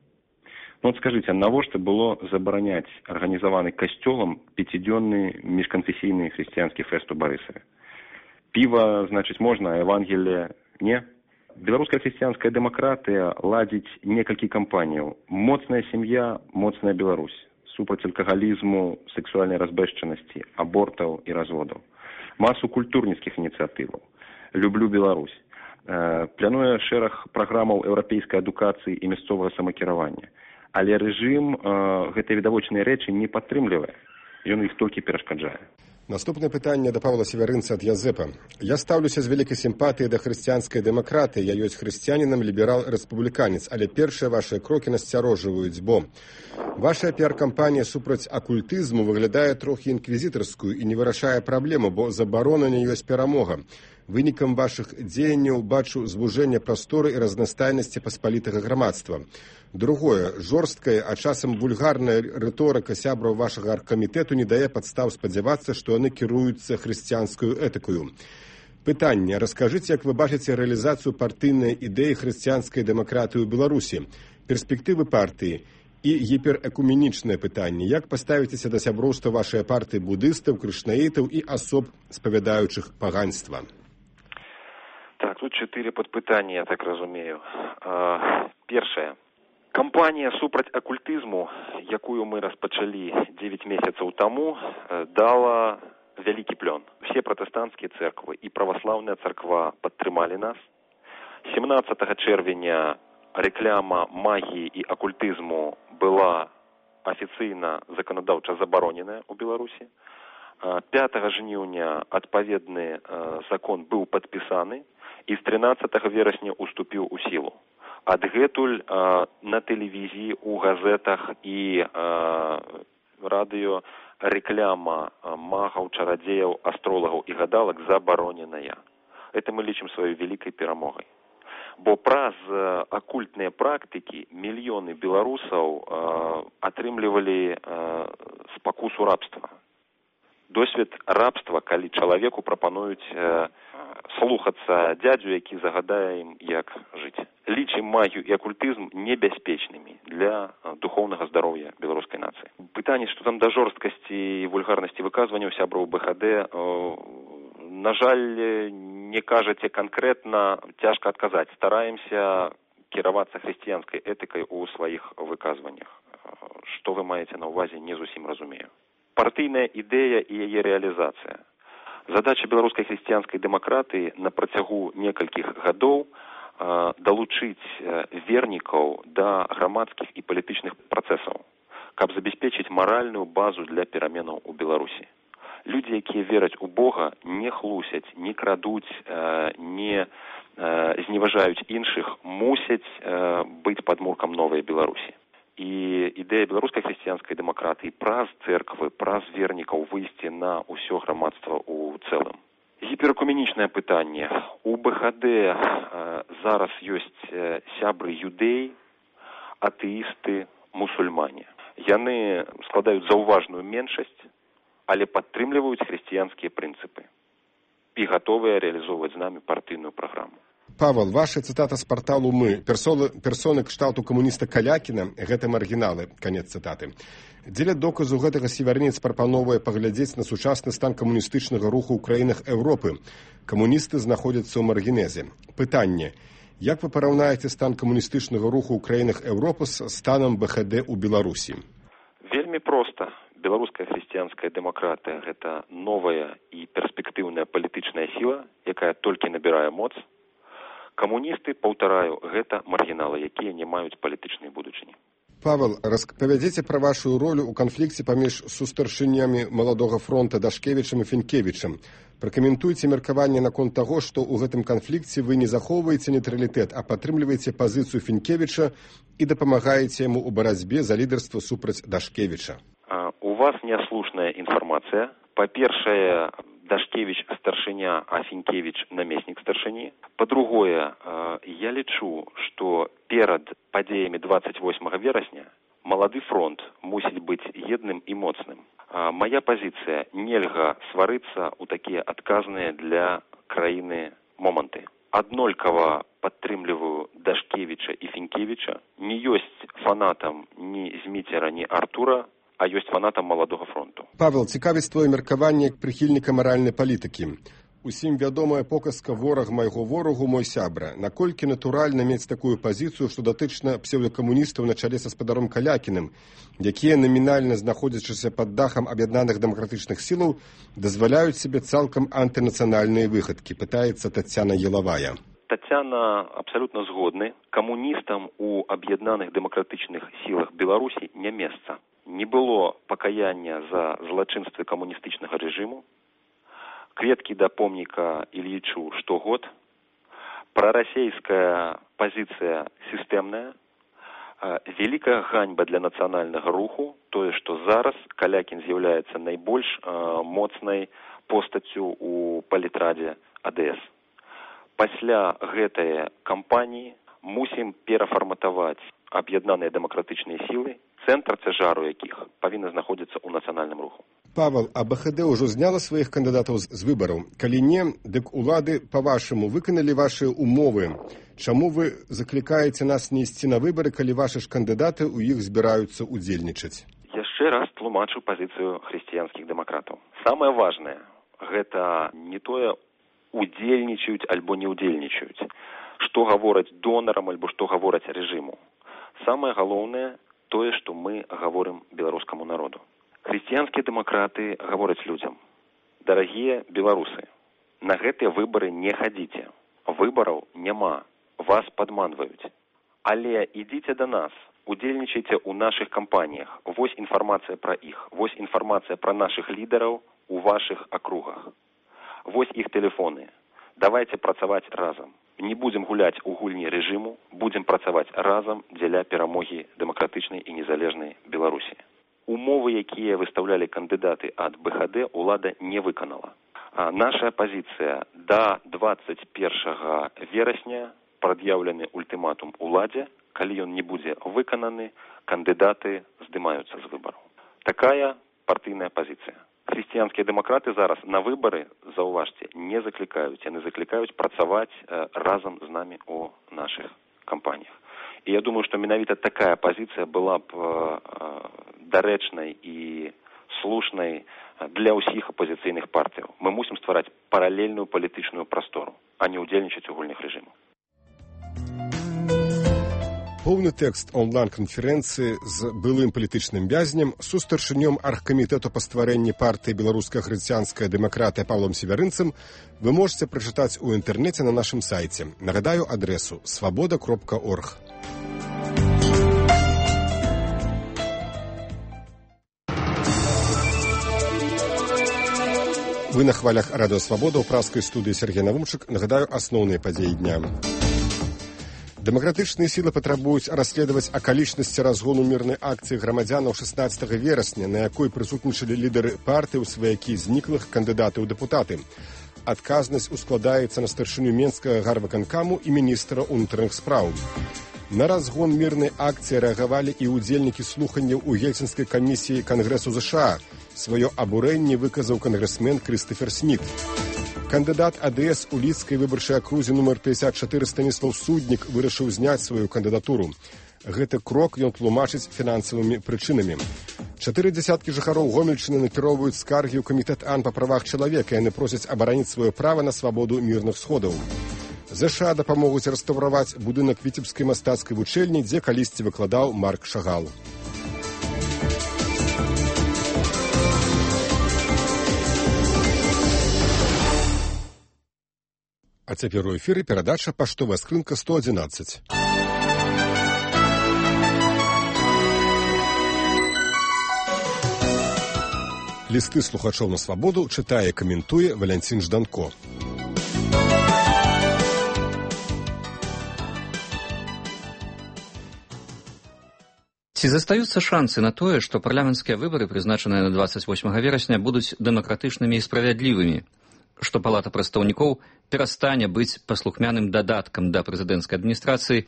Ну, от скажите, навошта было забараняць арганізаваны касцёлам пяцідзённы міжканфесійны хрысціянскі фэст у Барысаве? Піва, значыць, можна, а Евангелие не? Беларуская хрысціянская дэмакратыя ладзіць некалькі кампаніяў. Моцная сям'я, моцная Беларусь. Супраць алкагалізму, сексуальнай разбэшчанасці, абортаў і разводаў. Масу культурніцкіх ініцыятываў. Люблю Беларусь. Плануе шэраг праграмаў еўрапейскай адукацыі і мясцовага самакіравання. Але рэжым гэтыя відавочныя рэчы не падтрымлівае. Ён іх толькі перашкаджае. Наступне пытанне да Павла Северынца ад Язэпа. Я стаўлюся з вялікай сімпатыяй да хрысціянскай дэмакратыі. Я ёсць хрысціянінам, ліберал-рэспубліканец, але першыя вашыя крокі насцярожваюць, бо ваша піар-кампанія супраць акультызму выглядае трохі інквізітарскую і не вырашае праблему, бо забарона не ёсць перамога. Вынікам вашых дзеянняў бачу звужэнне прасторы і разнастайнасці паспалітага грамадства. Другое, жорсткая, а часам вульгарная рыторыка сябраў вашага аргкамітэту не дае падстаў спадзявацца, што яны кіруюцца хрысціянскую этыкаю. Пытанне. Раскажыце, як вы бачыце рэалізацыю партыйнай ідэі хрысціянскай дэмакратыі ў Беларусі, перспектывы партыі і гіперэкуменічнае пытанне. Як паставіцеся да сяброўства вашай партыі будыстаў, крышнаітаў і асоб, спавядаючых паганства? Так, тут 4 падпытанні, я так разумею. Першае. Кампанія супраць акультызму, якую мы распачалі 9 месяцаў таму, дала вялікі плён. Все пратэстанцкія цэрквы і праваслаўная царква падтрымалі нас. 17 чэрвеня рэкляма магіі і акультызму была афіцыйна заканадаўча забароненая ў Беларусі. 5 жніўня адпаведны закон быў падпісаны і з 13 верасня уступіў у сілу. Адгэтуль на тэлевізіі, у газетах і радыё рэкляма магаў, чарадзеяў, астролагаў і гадалак забароненая. Это мы лічым сваёй вялікай перамогай. Бо праз акультныя практыкі мільёны беларусаў атрымлівалі спакусу рабства. Досвед рабства, калі чалавеку прапануюць слухацца дзядзю, які загадае ім, як жыць. Лічым магію і акультызм небяспечнымі для духоўнага здароўя беларускай нацыі. Пытанне, што там да жорсткасці і вульгарнасці выказванняў сябраў БХД, на жаль, не кажаце канкрэтна, цяжка адказаць. Стараемся кіравацца хрысціянскай этыкай у сваіх выказваннях. Што вы маеце на ўвазе, не зусім разумею. Партыйная ідэя і яе рэалізацыя. Задача беларускай хрысціянскай дэмакратыі на працягу некалькіх гадоў далучыць вернікаў да грамадскіх і палітычных працэсаў, каб забяспечыць маральную базу для пераменаў у Беларусі. Людзі, якія вераць у Бога, не хлусяць, не крадуць, не зневажаюць іншых, мусяць быць падмуркам новай Беларусі. І ідэя беларускай хрысціянскай дэмакратыі праз цэрквы, праз вернікаў выйсці на ўсё грамадства ў цэлым. Гіперэкуменічнае пытанне. У БХД зараз ёсць сябры юдэі, атэісты, мусульмане. Яны складаюць заўважную меншасць, але падтрымліваюць хрысціянскія прынцыпы і гатовыя рэалізоўваць з намі партыйную праграму. Павел, ваша цытата з парталу «Мы». Персоны кшталту камуніста Калякіна, гэта маргіналы, канец цытаты. Дзеля доказу гэтага севернец прапановвае паглядзець на сучасны стан камуністычнага руху ў краінах Еўропы. Камуністы знаходзяцца ў маргінезе. Пытанне. Як вы параўнаеце стан камуністычнага руху ў краінах Еўропы з станам БХД ў Беларусі? Вельмі проста. Беларуская хрысціянская дэмакратыя – гэта новая і перспектыўная палітычная сіла, якая толькі набірае моц. Камуністы, паўтараю, гэта маргіналы, якія не маюць палітычнай будучыні. Павел, распавядзіце пра вашу ролю ў канфлікце паміж сустаршынямі маладога фронта Дашкевічам і Фінкевічам. Пракаментуйце меркаванне наконт таго, што ў гэтым канфлікце вы не захоўваеце нейтралітэт, а падтрымліваеце пазіцыю Фінкевіча і дапамагаеце яму ў барацьбе за лідарства супраць Дашкевіча. У вас няслушная інфармацыя. Па-першае, Дашкевич старшыня, а Фінкевіч намеснік старшыні. Па-другое, я лічу, што перад падзеямі 28 верасня малады фронт мусіць быць едным і моцным. Мая пазіцыя – нельга сварыцца ў такія адказныя для краіны моманты. аднолькава падтрымліваю Дашкевіча і Фінкевіча, не ёсць фанатам ні Зміцера, ні Артура, а ёсць фанатам Маладога фронту. Павел, цікавіць твоє меркаванне як прыхільніка маральнай палітыкі. Усім вядомая показка «Вораг майго ворагу, мой сябра». Наколькі натуральна мець такую пазіцыю, што датычна псеўдакамуністаў на чале са спадаром Калякіным, якія намінальна знаходзячыся пад дахам аб'яднаных дэмакратычных сілаў, дазваляюць себе цалкам антынацыянальныя выхадкі, пытаецца Тацяна Елавая. Тацяна абсалютна згодны. Камуністам у аб'яднаных дэмакратычных сілах Беларусі не месца. Не было пакаяння за злачынствы камуністычнага рэжыму. Кветкі да помніка Ільічу штогод. Прарасейская пазіцыя сістэмная. Вялікая ганьба для нацыянальнага руху. Тое, што зараз Калякін з'яўляецца найбольш моцнай постаццю у палітрадзе АДС. Пасля гэтай кампаніі мусім перафарматаваць аб'яднаныя дэмакратычныя сілы, цэнтр цяжару якіх павінна знаходзіцца ў нацыянальным руху. Павел, а БХД ўжо зняла сваіх кандыдатаў з выбараў? Калі не, дык улады, па-вашаму, выканалі вашыя умовы. Чаму вы заклікаеце нас не ісці на выбары, калі вашы ж кандыдаты ў іх збіраюцца удзельнічаць? Яшчэ раз тлумачу пазіцыю хрысціянскіх дэмакратаў. Самае важнае, гэта не тое, удзельнічаюць альбо не удзельнічаюць. Што гавораць донарам альбо што гавораць рэжыму. Самае галоўнае тое, што мы гаворым беларускаму народу. Хрысціянскія дэмакраты гавораць людзям: дарагія беларусы, на гэтыя выбары не хадзіце. Выбараў няма, вас падманваюць. Але ідзіце да нас, удзельнічайце ў нашых кампаніях. Вось інфармацыя пра іх, вось інфармацыя пра нашых лідараў у вашых акругах. Вось іх тэлефоны. Давайце працаваць разам. Не будзем гуляць у гульні рэжыму, будзем працаваць разам дзеля перамогі дэмакратычнай і незалежнай Беларусі. Умовы, якія выстаўлялі кандыдаты ад БХД, улада не выканала. Наша пазіцыя: да 21 верасня прад'яўлены ультыматум уладзе. Калі ён не будзе выкананы, кандыдаты здымаюцца з выбараў. Такая партыйная пазіцыя. Хрысціянскія дэмакраты зараз на выбары, заўважце, не заклікаюць. Яны заклікаюць працаваць разам з намі у нашых кампаніях. І я думаю, што менавіта такая пазіцыя была б дарэчнай і слушнай для ўсіх апозіцыйных партыяў. Мы мусім ствараць паралельную палітычную прастору, а не ўдзельнічаць у гульнях рэжыму. Поўны тэкст онлайн-канферэнцыі з былым палітычным вязнем, сустаршынём аргкамітэту па стварэнні партыі «Беларуская хрысціянская дэмакратыя» Павлом Севярынцам вы можете прачытаць у інтэрнэце на нашым сайце. Нагадаю адресу свабода.орг. Вы на хвалях радыё «Свабода» ў праскай студыі Сергей Навумчык. Нагадаю асноўныя падзеі дня. Дэмакратычныя сілы патрабуюць расследаваць акалічнасці разгону мірнай акцыі грамадзянаў 16 верасня, на якой прысутнічалі лідары партыі, сваякі зніклых кандыдаты ў дэпутаты. Адказнасць ускладаецца на старшыню Менскага гарвыканкаму і міністра ўнутраных спраў. На разгон мірнай акцыі рэагавалі і ўдзельнікі слуханняў у Гельсінскай камісіі Кангрэсу ЗША. Сваё абурэнне выказаў кангрэсмен Крыстафер Сміт. Кандыдат АДС у лідскай выбарчай акрузе нумар 54 Станіслав Суднік вырашыў зняць сваю кандыдатуру. Гэты крок ён тлумачыць фінансавымі прычынамі. 40 жыхароў Гомельчыны накіроўваюць скаргі ў камітэт АН па правах чалавека. Яны просяць абараніць сваё права на свабоду мірных сходаў. ЗША дапамогуць рэстаўраваць будынак Віцебскай мастацкай вучэльні, дзе калісьці выкладаў Марк Шагал. А цяпер у эфіры перадача «Паштовая скрынка 111». Лісты слухачоў на свабоду чытае, каментуе Валянцін Жданко. Ці застаюцца шансы на тое, што парламенцкія выбары, прызначаныя на 28 верасня, будуць дэмакратычнымі і справядлівымі, што палата прадстаўнікоў перастане быць паслухмяным дадаткам да прэзідэнцкай адміністрацыі,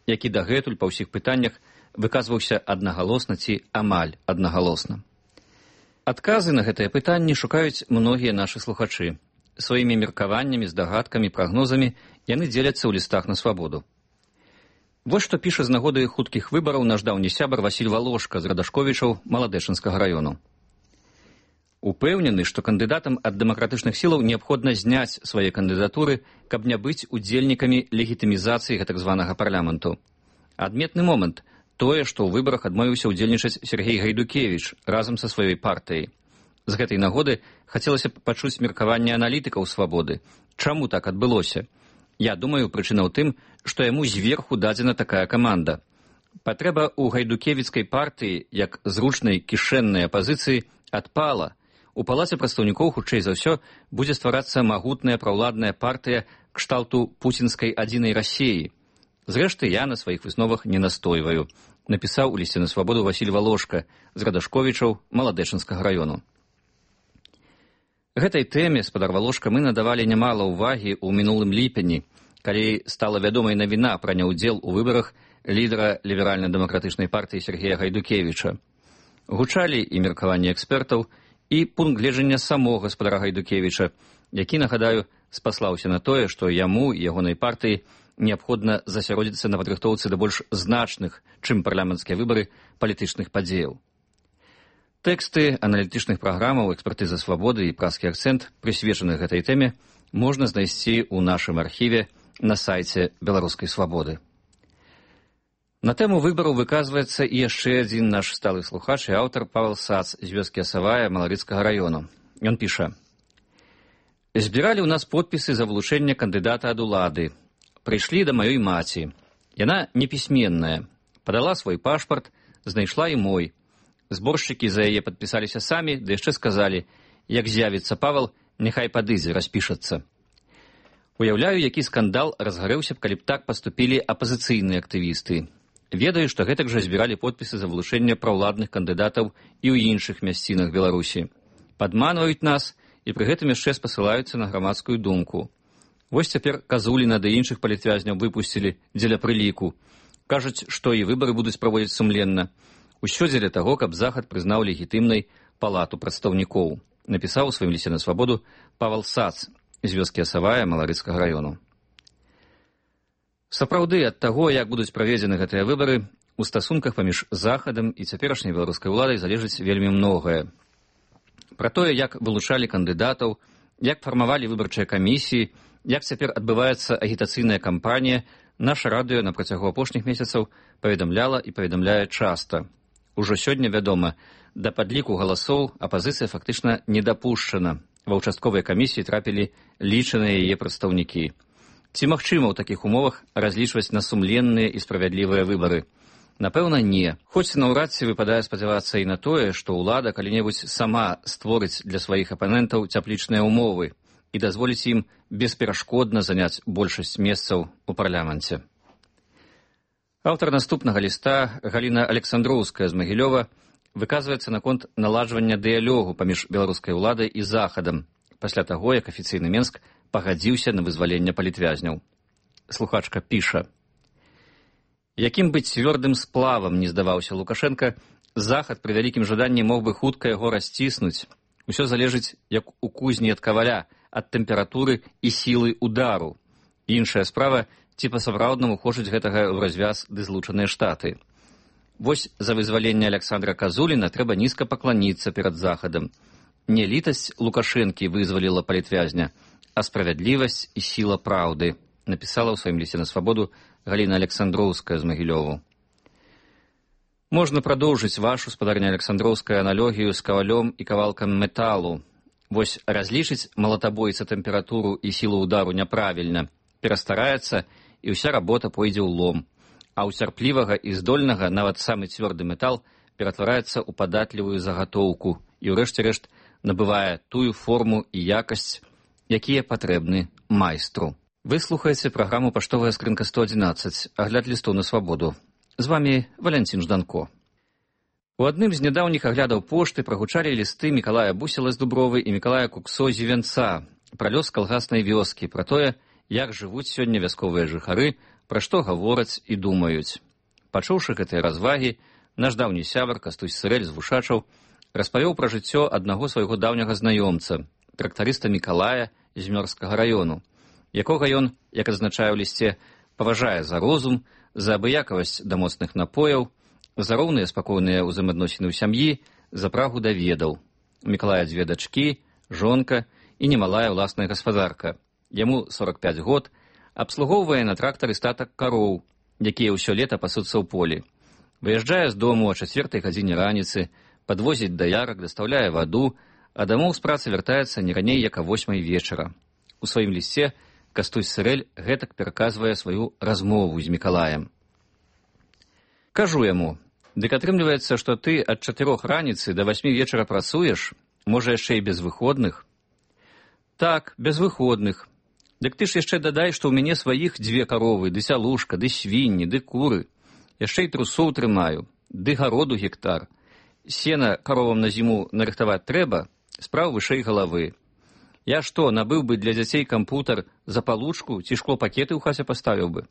які дагэтуль па ўсіх пытаннях выказваўся аднагалосна ці амаль аднагалосна. Адказы на гэтыя пытанні шукаюць многія нашы слухачы. Сваімі меркаваннямі, здагадкамі, прагнозамі яны дзеляцца ў лістах на свабоду. Вось што піша з нагоды хуткіх выбараў наш даўні сябар Васіль Валошка з Радашковічаў Маладэчынскага раёну. Упэўнены, што кандыдатам ад дэмакратычных сілаў неабходна зняць свае кандыдатуры, каб не быць удзельнікамі легітымізацыі гэтак званага парламенту. Адметны момант тое, што ў выбарах адмовіўся ўдзельнічаць Сергей Гайдукевіч разам са сваёй партыяй. З гэтай нагоды хацелася б пачуць меркаванне аналітыкаў свабоды. Чаму так адбылося? Я думаю, прычына ў тым, што яму зверху дадзена такая каманда. Патрэба ў гайдукевіцкай партыі, як зручнай кішэннай апазіцыі, адпала. У палаце прадстаўнікоў, хутчэй за ўсё, будзе стварацца магутная праўладная партыя кшталту пуцінскай адзінай Расіі. Зрэшты, я на сваіх высновах не настойваю, напісаў у лісце на свабоду Васіль Валошка з Радашковічаў Маладэчынскага раёну. Гэтай тэме, спадар Валошка, мы надавалі нямала ўвагі ў мінулым ліпені, калі стала вядомай навіна пра няўдзел у выбарах лідара ліберальна-дэмакратычнай партыі Сергея Гайдукевіча. Гучалі і меркаванні экспертаў, і пункт гледжання самога спадара Гайдукевіча, які, нагадаю, спаслаўся на тое, што яму і ягонай партыі неабходна засяродзіцца на падрыхтоўцы да больш значных, чым парламенцкія выбары, палітычных падзеяў. Тэксты аналітычных праграмаў «Экспертыза свабоды» і «Праскі акцэнт», прысвечаных гэтай тэме, можна знайсці ў нашым архіве на сайце Беларускай свабоды. На тэму выбараў выказваецца і яшчэ адзін наш сталы слухач і аўтар Павел Сац з вёскі Асавая Маларыцкага раёну. Ён піша: «Збіралі ў нас подпісы за вылучэнне кандыдата ад улады. Прыйшлі да маёй маці. Яна непісьменная. Падала свой пашпарт, знайшла і мой. Зборшчыкі за яе падпісаліся самі, ды яшчэ сказалі, як з'явіцца Павел, няхай падыдзе, распішацца. Уяўляю, які скандал разгарэўся б, калі б так паступілі апазіцыйныя актывісты. Ведаю, што гэтак жа збіралі подпісы за вылучэнне праўладных кандыдатаў і ў іншых мясцінах Беларусі. Падманваюць нас і пры гэтым яшчэ спасылаюцца на грамадскую думку. Вось цяпер Казуліна да іншых палітвязняў выпусцілі дзеля прыліку. Кажуць, што і выбары будуць праводзіць сумленна. Усё дзеля таго, каб Захад прызнаў легітымнай палату прадстаўнікоў, напісаў у сваім лісце на свабоду Павел Сац з вёскі Асавая Маларыцкага раёну. Сапраўды, ад таго, як будуць праведзены гэтыя выбары, у стасунках паміж Захадам і цяперашняй беларускай уладай залежыць вельмі многае. Пра тое, як вылучалі кандыдатаў, як фармавалі выбарчыя камісіі, як цяпер адбываецца агітацыйная кампанія, наша радыё на працягу апошніх месяцаў паведамляла і паведамляе часта. Ужо сёння вядома, да падліку галасоў апазіцыя фактычна не дапушчана. Ва ўчастковай камісіі трапілі лічаныя яе прадстаўнікі. Ці магчыма ў такіх умовах разлічваць на сумленныя і справядлівыя выбары? Напэўна, не. Хоць наўрад ці выпадае спадзявацца і на тое, што ўлада калі-небудзь сама створыць для сваіх апанентаў цяплічныя ўмовы і дазволіць ім бесперашкодна заняць большасць месцаў у парламенце. Аўтар наступнага ліста, Галіна Александроўская з Магілёва, выказваецца наконт наладжвання дыялогу паміж беларускай уладай і Захадам, пасля таго, як афіцыйны Менск пагадзіўся на вызваленне палітвязняў. Слухачка піша: «Якім бы цвёрдым сплавам не здаваўся Лукашенка, Захад пры вялікім жаданні мог бы хутка яго расціснуць. Усё залежыць, як у кузні ад каваля, ад тэмпературы і сілы удару. Іншая справа, ці па-сапраўднаму хочуць гэтага ў развяз ды злучаныя штаты. Вось за вызваленне Александра Казуліна трэба нізка пакланіцца перад Захадам. Не літасць Лукашэнкі вызваліла палітвязня, а справядлівасць і сіла праўды», напісала ў сваім лісце на свабоду Галіна Александроўская з Магілёву. Можна прадоўжыць вашу, спадарня Александроўская, аналогію з кавалём і кавалкам металу. Вось разлічыць малатабойца тэмпературу і сілу удару няправільна, перастараецца, і ўся работа пойдзе ў лом. А ў цярплівага і здольнага нават самы цвёрды метал ператвараецца ў падатлівую загатоўку і ўрэшце рэшт набывае тую форму і якасць, якія патрэбны майстру. Вы слухаеце праграму «Паштовая скрынка 111», агляд лістоў на свабоду. З вамі Валянцін Жданко. У адным з нядаўніх аглядаў пошты прагучалі лісты Мікалая Бусела з Дубровы і Мікалая Куксо з Івянца пра лёс калгаснай вёскі, пра тое, як жывуць сёння вясковыя жыхары, пра што гавораць і думаюць. Пачуўшы гэтыя развагі, наш даўні сябар Кастусь Сырэль з Вушачаў распавёў пра жыццё аднаго свайго даўняга знаёмца, трактарыста Мікалая, з Мёрскага раёну, якога ён, як адзначае ў лісце, паважае за розум, за абыякавасць да моцных напояў, за роўныя спакойныя ўзаемаадносіны ў сям'і, за прагу да ведаў. У Мікалая 2 дачкі, жонка і немалая ўласная гаспадарка. Яму 45 год, абслугоўвае на трактары статак кароў, якія ўсё лета пасуцца ў полі. Выязджае з дому о 4 гадзіне раніцы, падвозіць даярак, дастаўляе ваду, а дамоў з працы вяртаецца не раней, як а 8 вечара. У сваім лісце Кастусь Сырэль гэтак пераказвае сваю размову з Мікалаем. Кажу яму: «Дык атрымліваецца, што ты ад 4 раніцы да 8 вечара працуеш, можа яшчэ і без выходных?» «Так, без выходных. Дык ты ж яшчэ дадай, што ў мяне сваіх 2 каровы, ды сялушка, ды свінні, ды куры. Яшчэ і трусоў трымаю, ды гароду гектар. Сена каровам на зіму нарыхтаваць трэба, спраў вышэй галавы. Я што, набыў бы для дзяцей кампутар за палучку ці шклопакеты ў хаце паставіў бы?»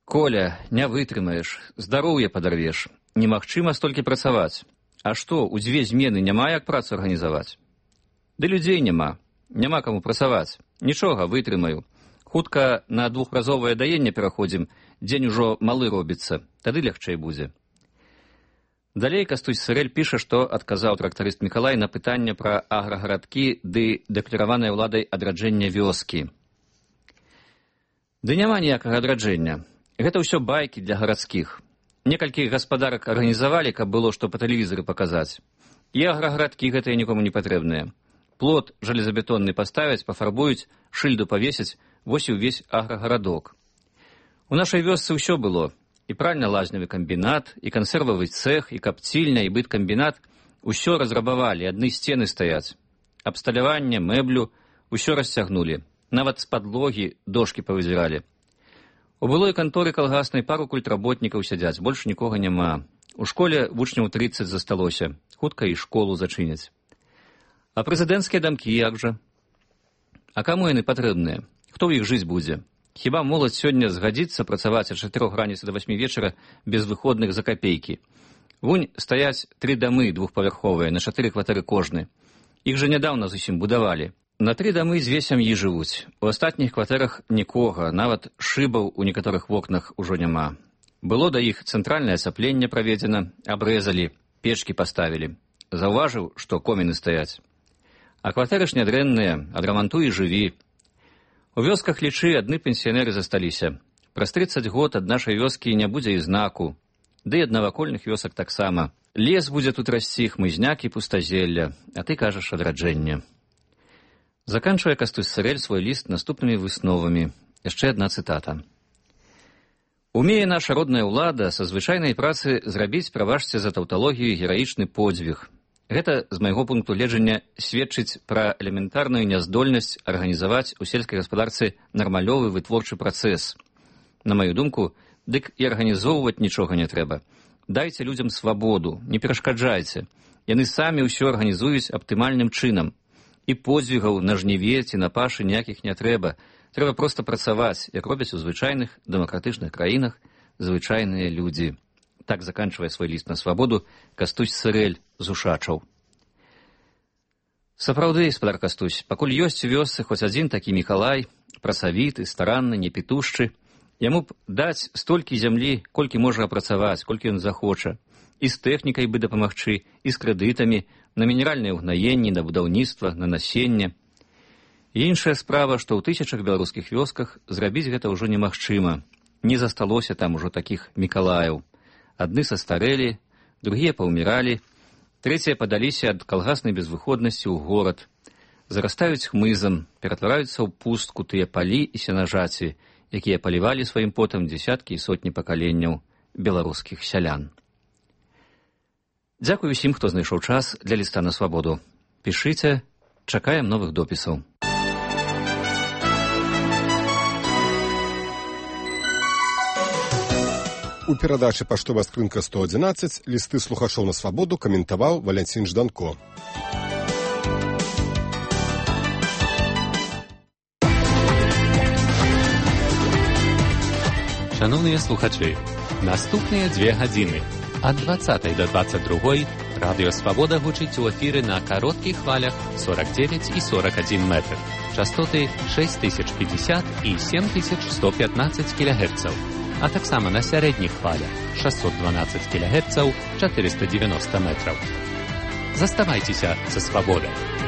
«Коля, не вытрымаеш, здароўе падарвеш. Немагчыма столькі працаваць. А што, у 2 змены няма як працу арганізаваць?» «Ды людзей няма. Няма каму працаваць. Нічога, вытрымаю. Хутка на 2-разовае даенне пераходзім, дзень ужо малы робіцца, тады лягчэй будзе». Далей Кастусь Сырэль піша, што адказаў трактарыст Мікалай на пытанне пра аграгарадкі ды дэклараванае ўладай адраджэння вёскі. «Ды няма ніякага адраджэння. Гэта ўсё байкі для гарадскіх. Некалькі гаспадарак арганізавалі, каб было што па тэлевізары паказаць. І аграгарадкі гэтыя нікому не патрэбныя. Плот жалезабетонны паставяць, пафарбуюць, шыльду павесяць, вось і ўвесь аграгарадок. У нашай вёсцы ўсё было. І пральна-лазневы камбінат, і кансервавы цэх, і капцільня, і быткамбінат. Усё разрабавалі, адны сцены стаяць. Абсталяванне, мэблю, усё расцягнулі. Нават з падлогі дошкі павызіралі. У былой канторы калгаснай пару культработнікаў сядзяць, больш нікога няма. У школе вучняў 30 засталося. Хутка і школу зачыняць. А прэзідэнцкія дамкі як жа? А каму яны патрэбныя? Хто ў іх жыць будзе? Хіба моладзь сёння згадзіцца працаваць ад 4 раніцы да 8 вечара без выходных за капейкі? Вунь стаяць 3 дамы двухпавярховыя, на 4 кватэры кожны. Іх жа нядаўна зусім будавалі. На 3 дамы 2 сям'і жывуць. У астатніх кватэрах нікога, нават шыбаў у некаторых вокнах ужо няма. Было да іх цэнтральнае ацяпленне праведзена, абрэзалі, печкі паставілі. Заўважыў, што коміны стаяць. А кватэры ж нядрэнныя, адрамантуй і жыві. У вёсках, лічы, адны пенсіянеры засталіся. Праз 30 год ад нашай вёскі не будзе і знаку. Ды ад навакольных вёсак таксама. Лес будзе тут расці, хмызняк і пустазелля, а ты кажаш адраджэнне. Заканчвае Кастусь Сырэль свой ліст наступнымі высновамі. Яшчэ адна цытата. «Умее наша родная ўлада са звычайнай працы зрабіць, прабачце за таўталогію, гераічны подзвіг. Гэта, з майго пункту гледжання, сведчыць пра элементарную няздольнасць арганізаваць у сельскай гаспадарцы нармалёвы вытворчы працэс. На маю думку, дык і арганізоўваць нічога не трэба. Дайце людзям свабоду, не перашкаджайце. Яны самі ўсё арганізуюць аптымальным чынам. І подзвігаў на жніве ці на пашы ніякіх не трэба. Трэба проста працаваць, як робяць у звычайных дэмакратычных краінах звычайныя людзі». Так заканчвае свой ліст на свабоду Кастусь Сырэль з Ушачаў. Сапраўды, спадар Кастусь, пакуль ёсць у вёсцы хоць адзін такі Мікалай, працавіты, старанны, непітушчы, яму б даць столькі зямлі, колькі можа апрацаваць, колькі ён захоча. І з тэхнікай бы дапамагчы, і з крэдытамі, на мінеральныя ўгнаенні, на будаўніцтва, на насенне. Іншая справа, што ў тысячах беларускіх вёсках зрабіць гэта ўжо немагчыма. Не засталося там ужо такіх Мікалаяў. Адны састарэлі, другія паўміралі, трэція падаліся ад калгаснай безвыходнасці ў горад. Зарастаюць хмызам, ператвараюцца ў пустку тыя палі і сенажаці, якія палівалі сваім потам дзесяткі і сотні пакаленняў беларускіх сялян. Дзякуй усім, хто знайшоў час для ліста на свабоду. Пішыце, чакаем новых допісаў. У перадачы «Паштовая скрынка 111» лісты слухачоў на свабоду каментаваў Валянцін Жданко. Шановныя слухачы, наступныя 2 гадзіны ад 20 до 22 Радыё Свабода гучыць у эфіры на кароткіх хвалях 49 і 41 метр. Частоты 6050 і 7115 кГц. А таксама на сярэдніх хвалях 612 кГц, 490 метраў. Заставайцеся са Свабодай.